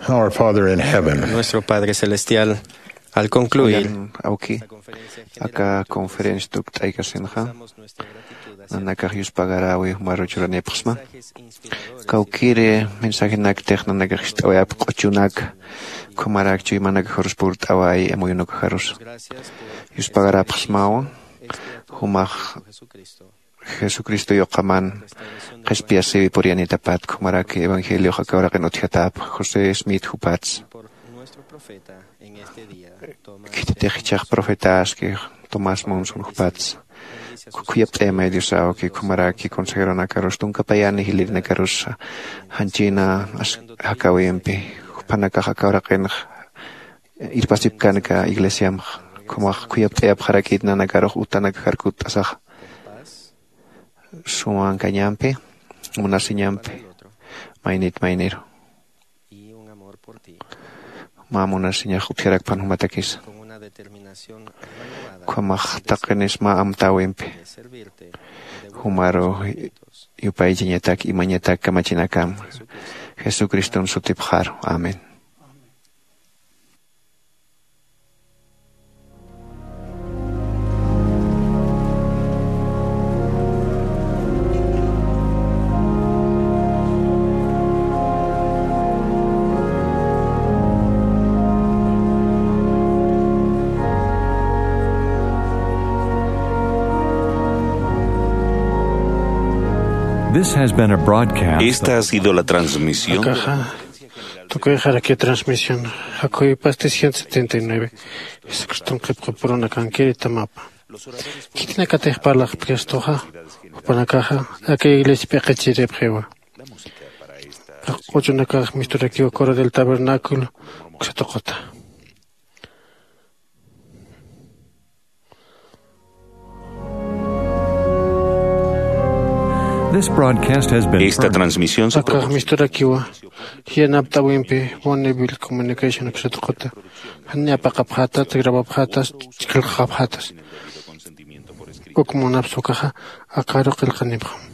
Our Father in heaven. Nuestro Padre Celestial, al concluir, oigan, awki, aka conferencia tukt'aykasinxa, nanakax yuspagarawi jumaru churanipxsma. Kawkiri mensajenaktix nanakax jist'awayap q'uchunak, khumarak chuymanakaxarus purt'away amuyunukaxarus. Yuspagarapxsmawa, jumax Jesucristo yuqaman qhispiyasiwi puriyanitapat, khumaraki evangeliox aka uraqin utjatap José Smith jupats. Khititix jichhax profetaski Tomás Monson jupats. Khuyapt'ayamay Diosaw, kikhumaraki consejeronakarus tunkapayani jilirinakarus janchina as-, jakawimpi. Juphanakax aka uraqinx irpasipkanka iglesiamx. Khumax khuyapt'ayapxarakit nanakarux utanakaxar kutt'asaxa. Sumankañampi, munasiñampi, maynit mayniru. Mä munasiñax utjarakpan jumatakisa. Ukhamax taqinis mä amtäwimpi. Jumaru yupaychañatak imañatak kamachinakam. Jesucriston sutipxaru. Amén. This has been a broadcast. Esta ha sido la transmisión. Akaxa, tukuyxaraki transmisión, Jacobi Pastis ciento setenta y nueve, Jesucriston qhipqapurunakankiri tamapa. Khitinakatix parlaqpkistuxa, jupanakaxa, aka iglesia p'iqichiripxiwa. Q'uchunakax misturakiwa Coro del Tabernáculo, uksa tuquta. This broadcast has been Esta transmisión se Akax misturakiwa, jiyanapt'awimpi, Bonneville Communication uksa tuquta. Jani apaqapxatat, grabapxatas, chhillqapxatas. Uk munapxi ukaxa, akaru qillqanipxam.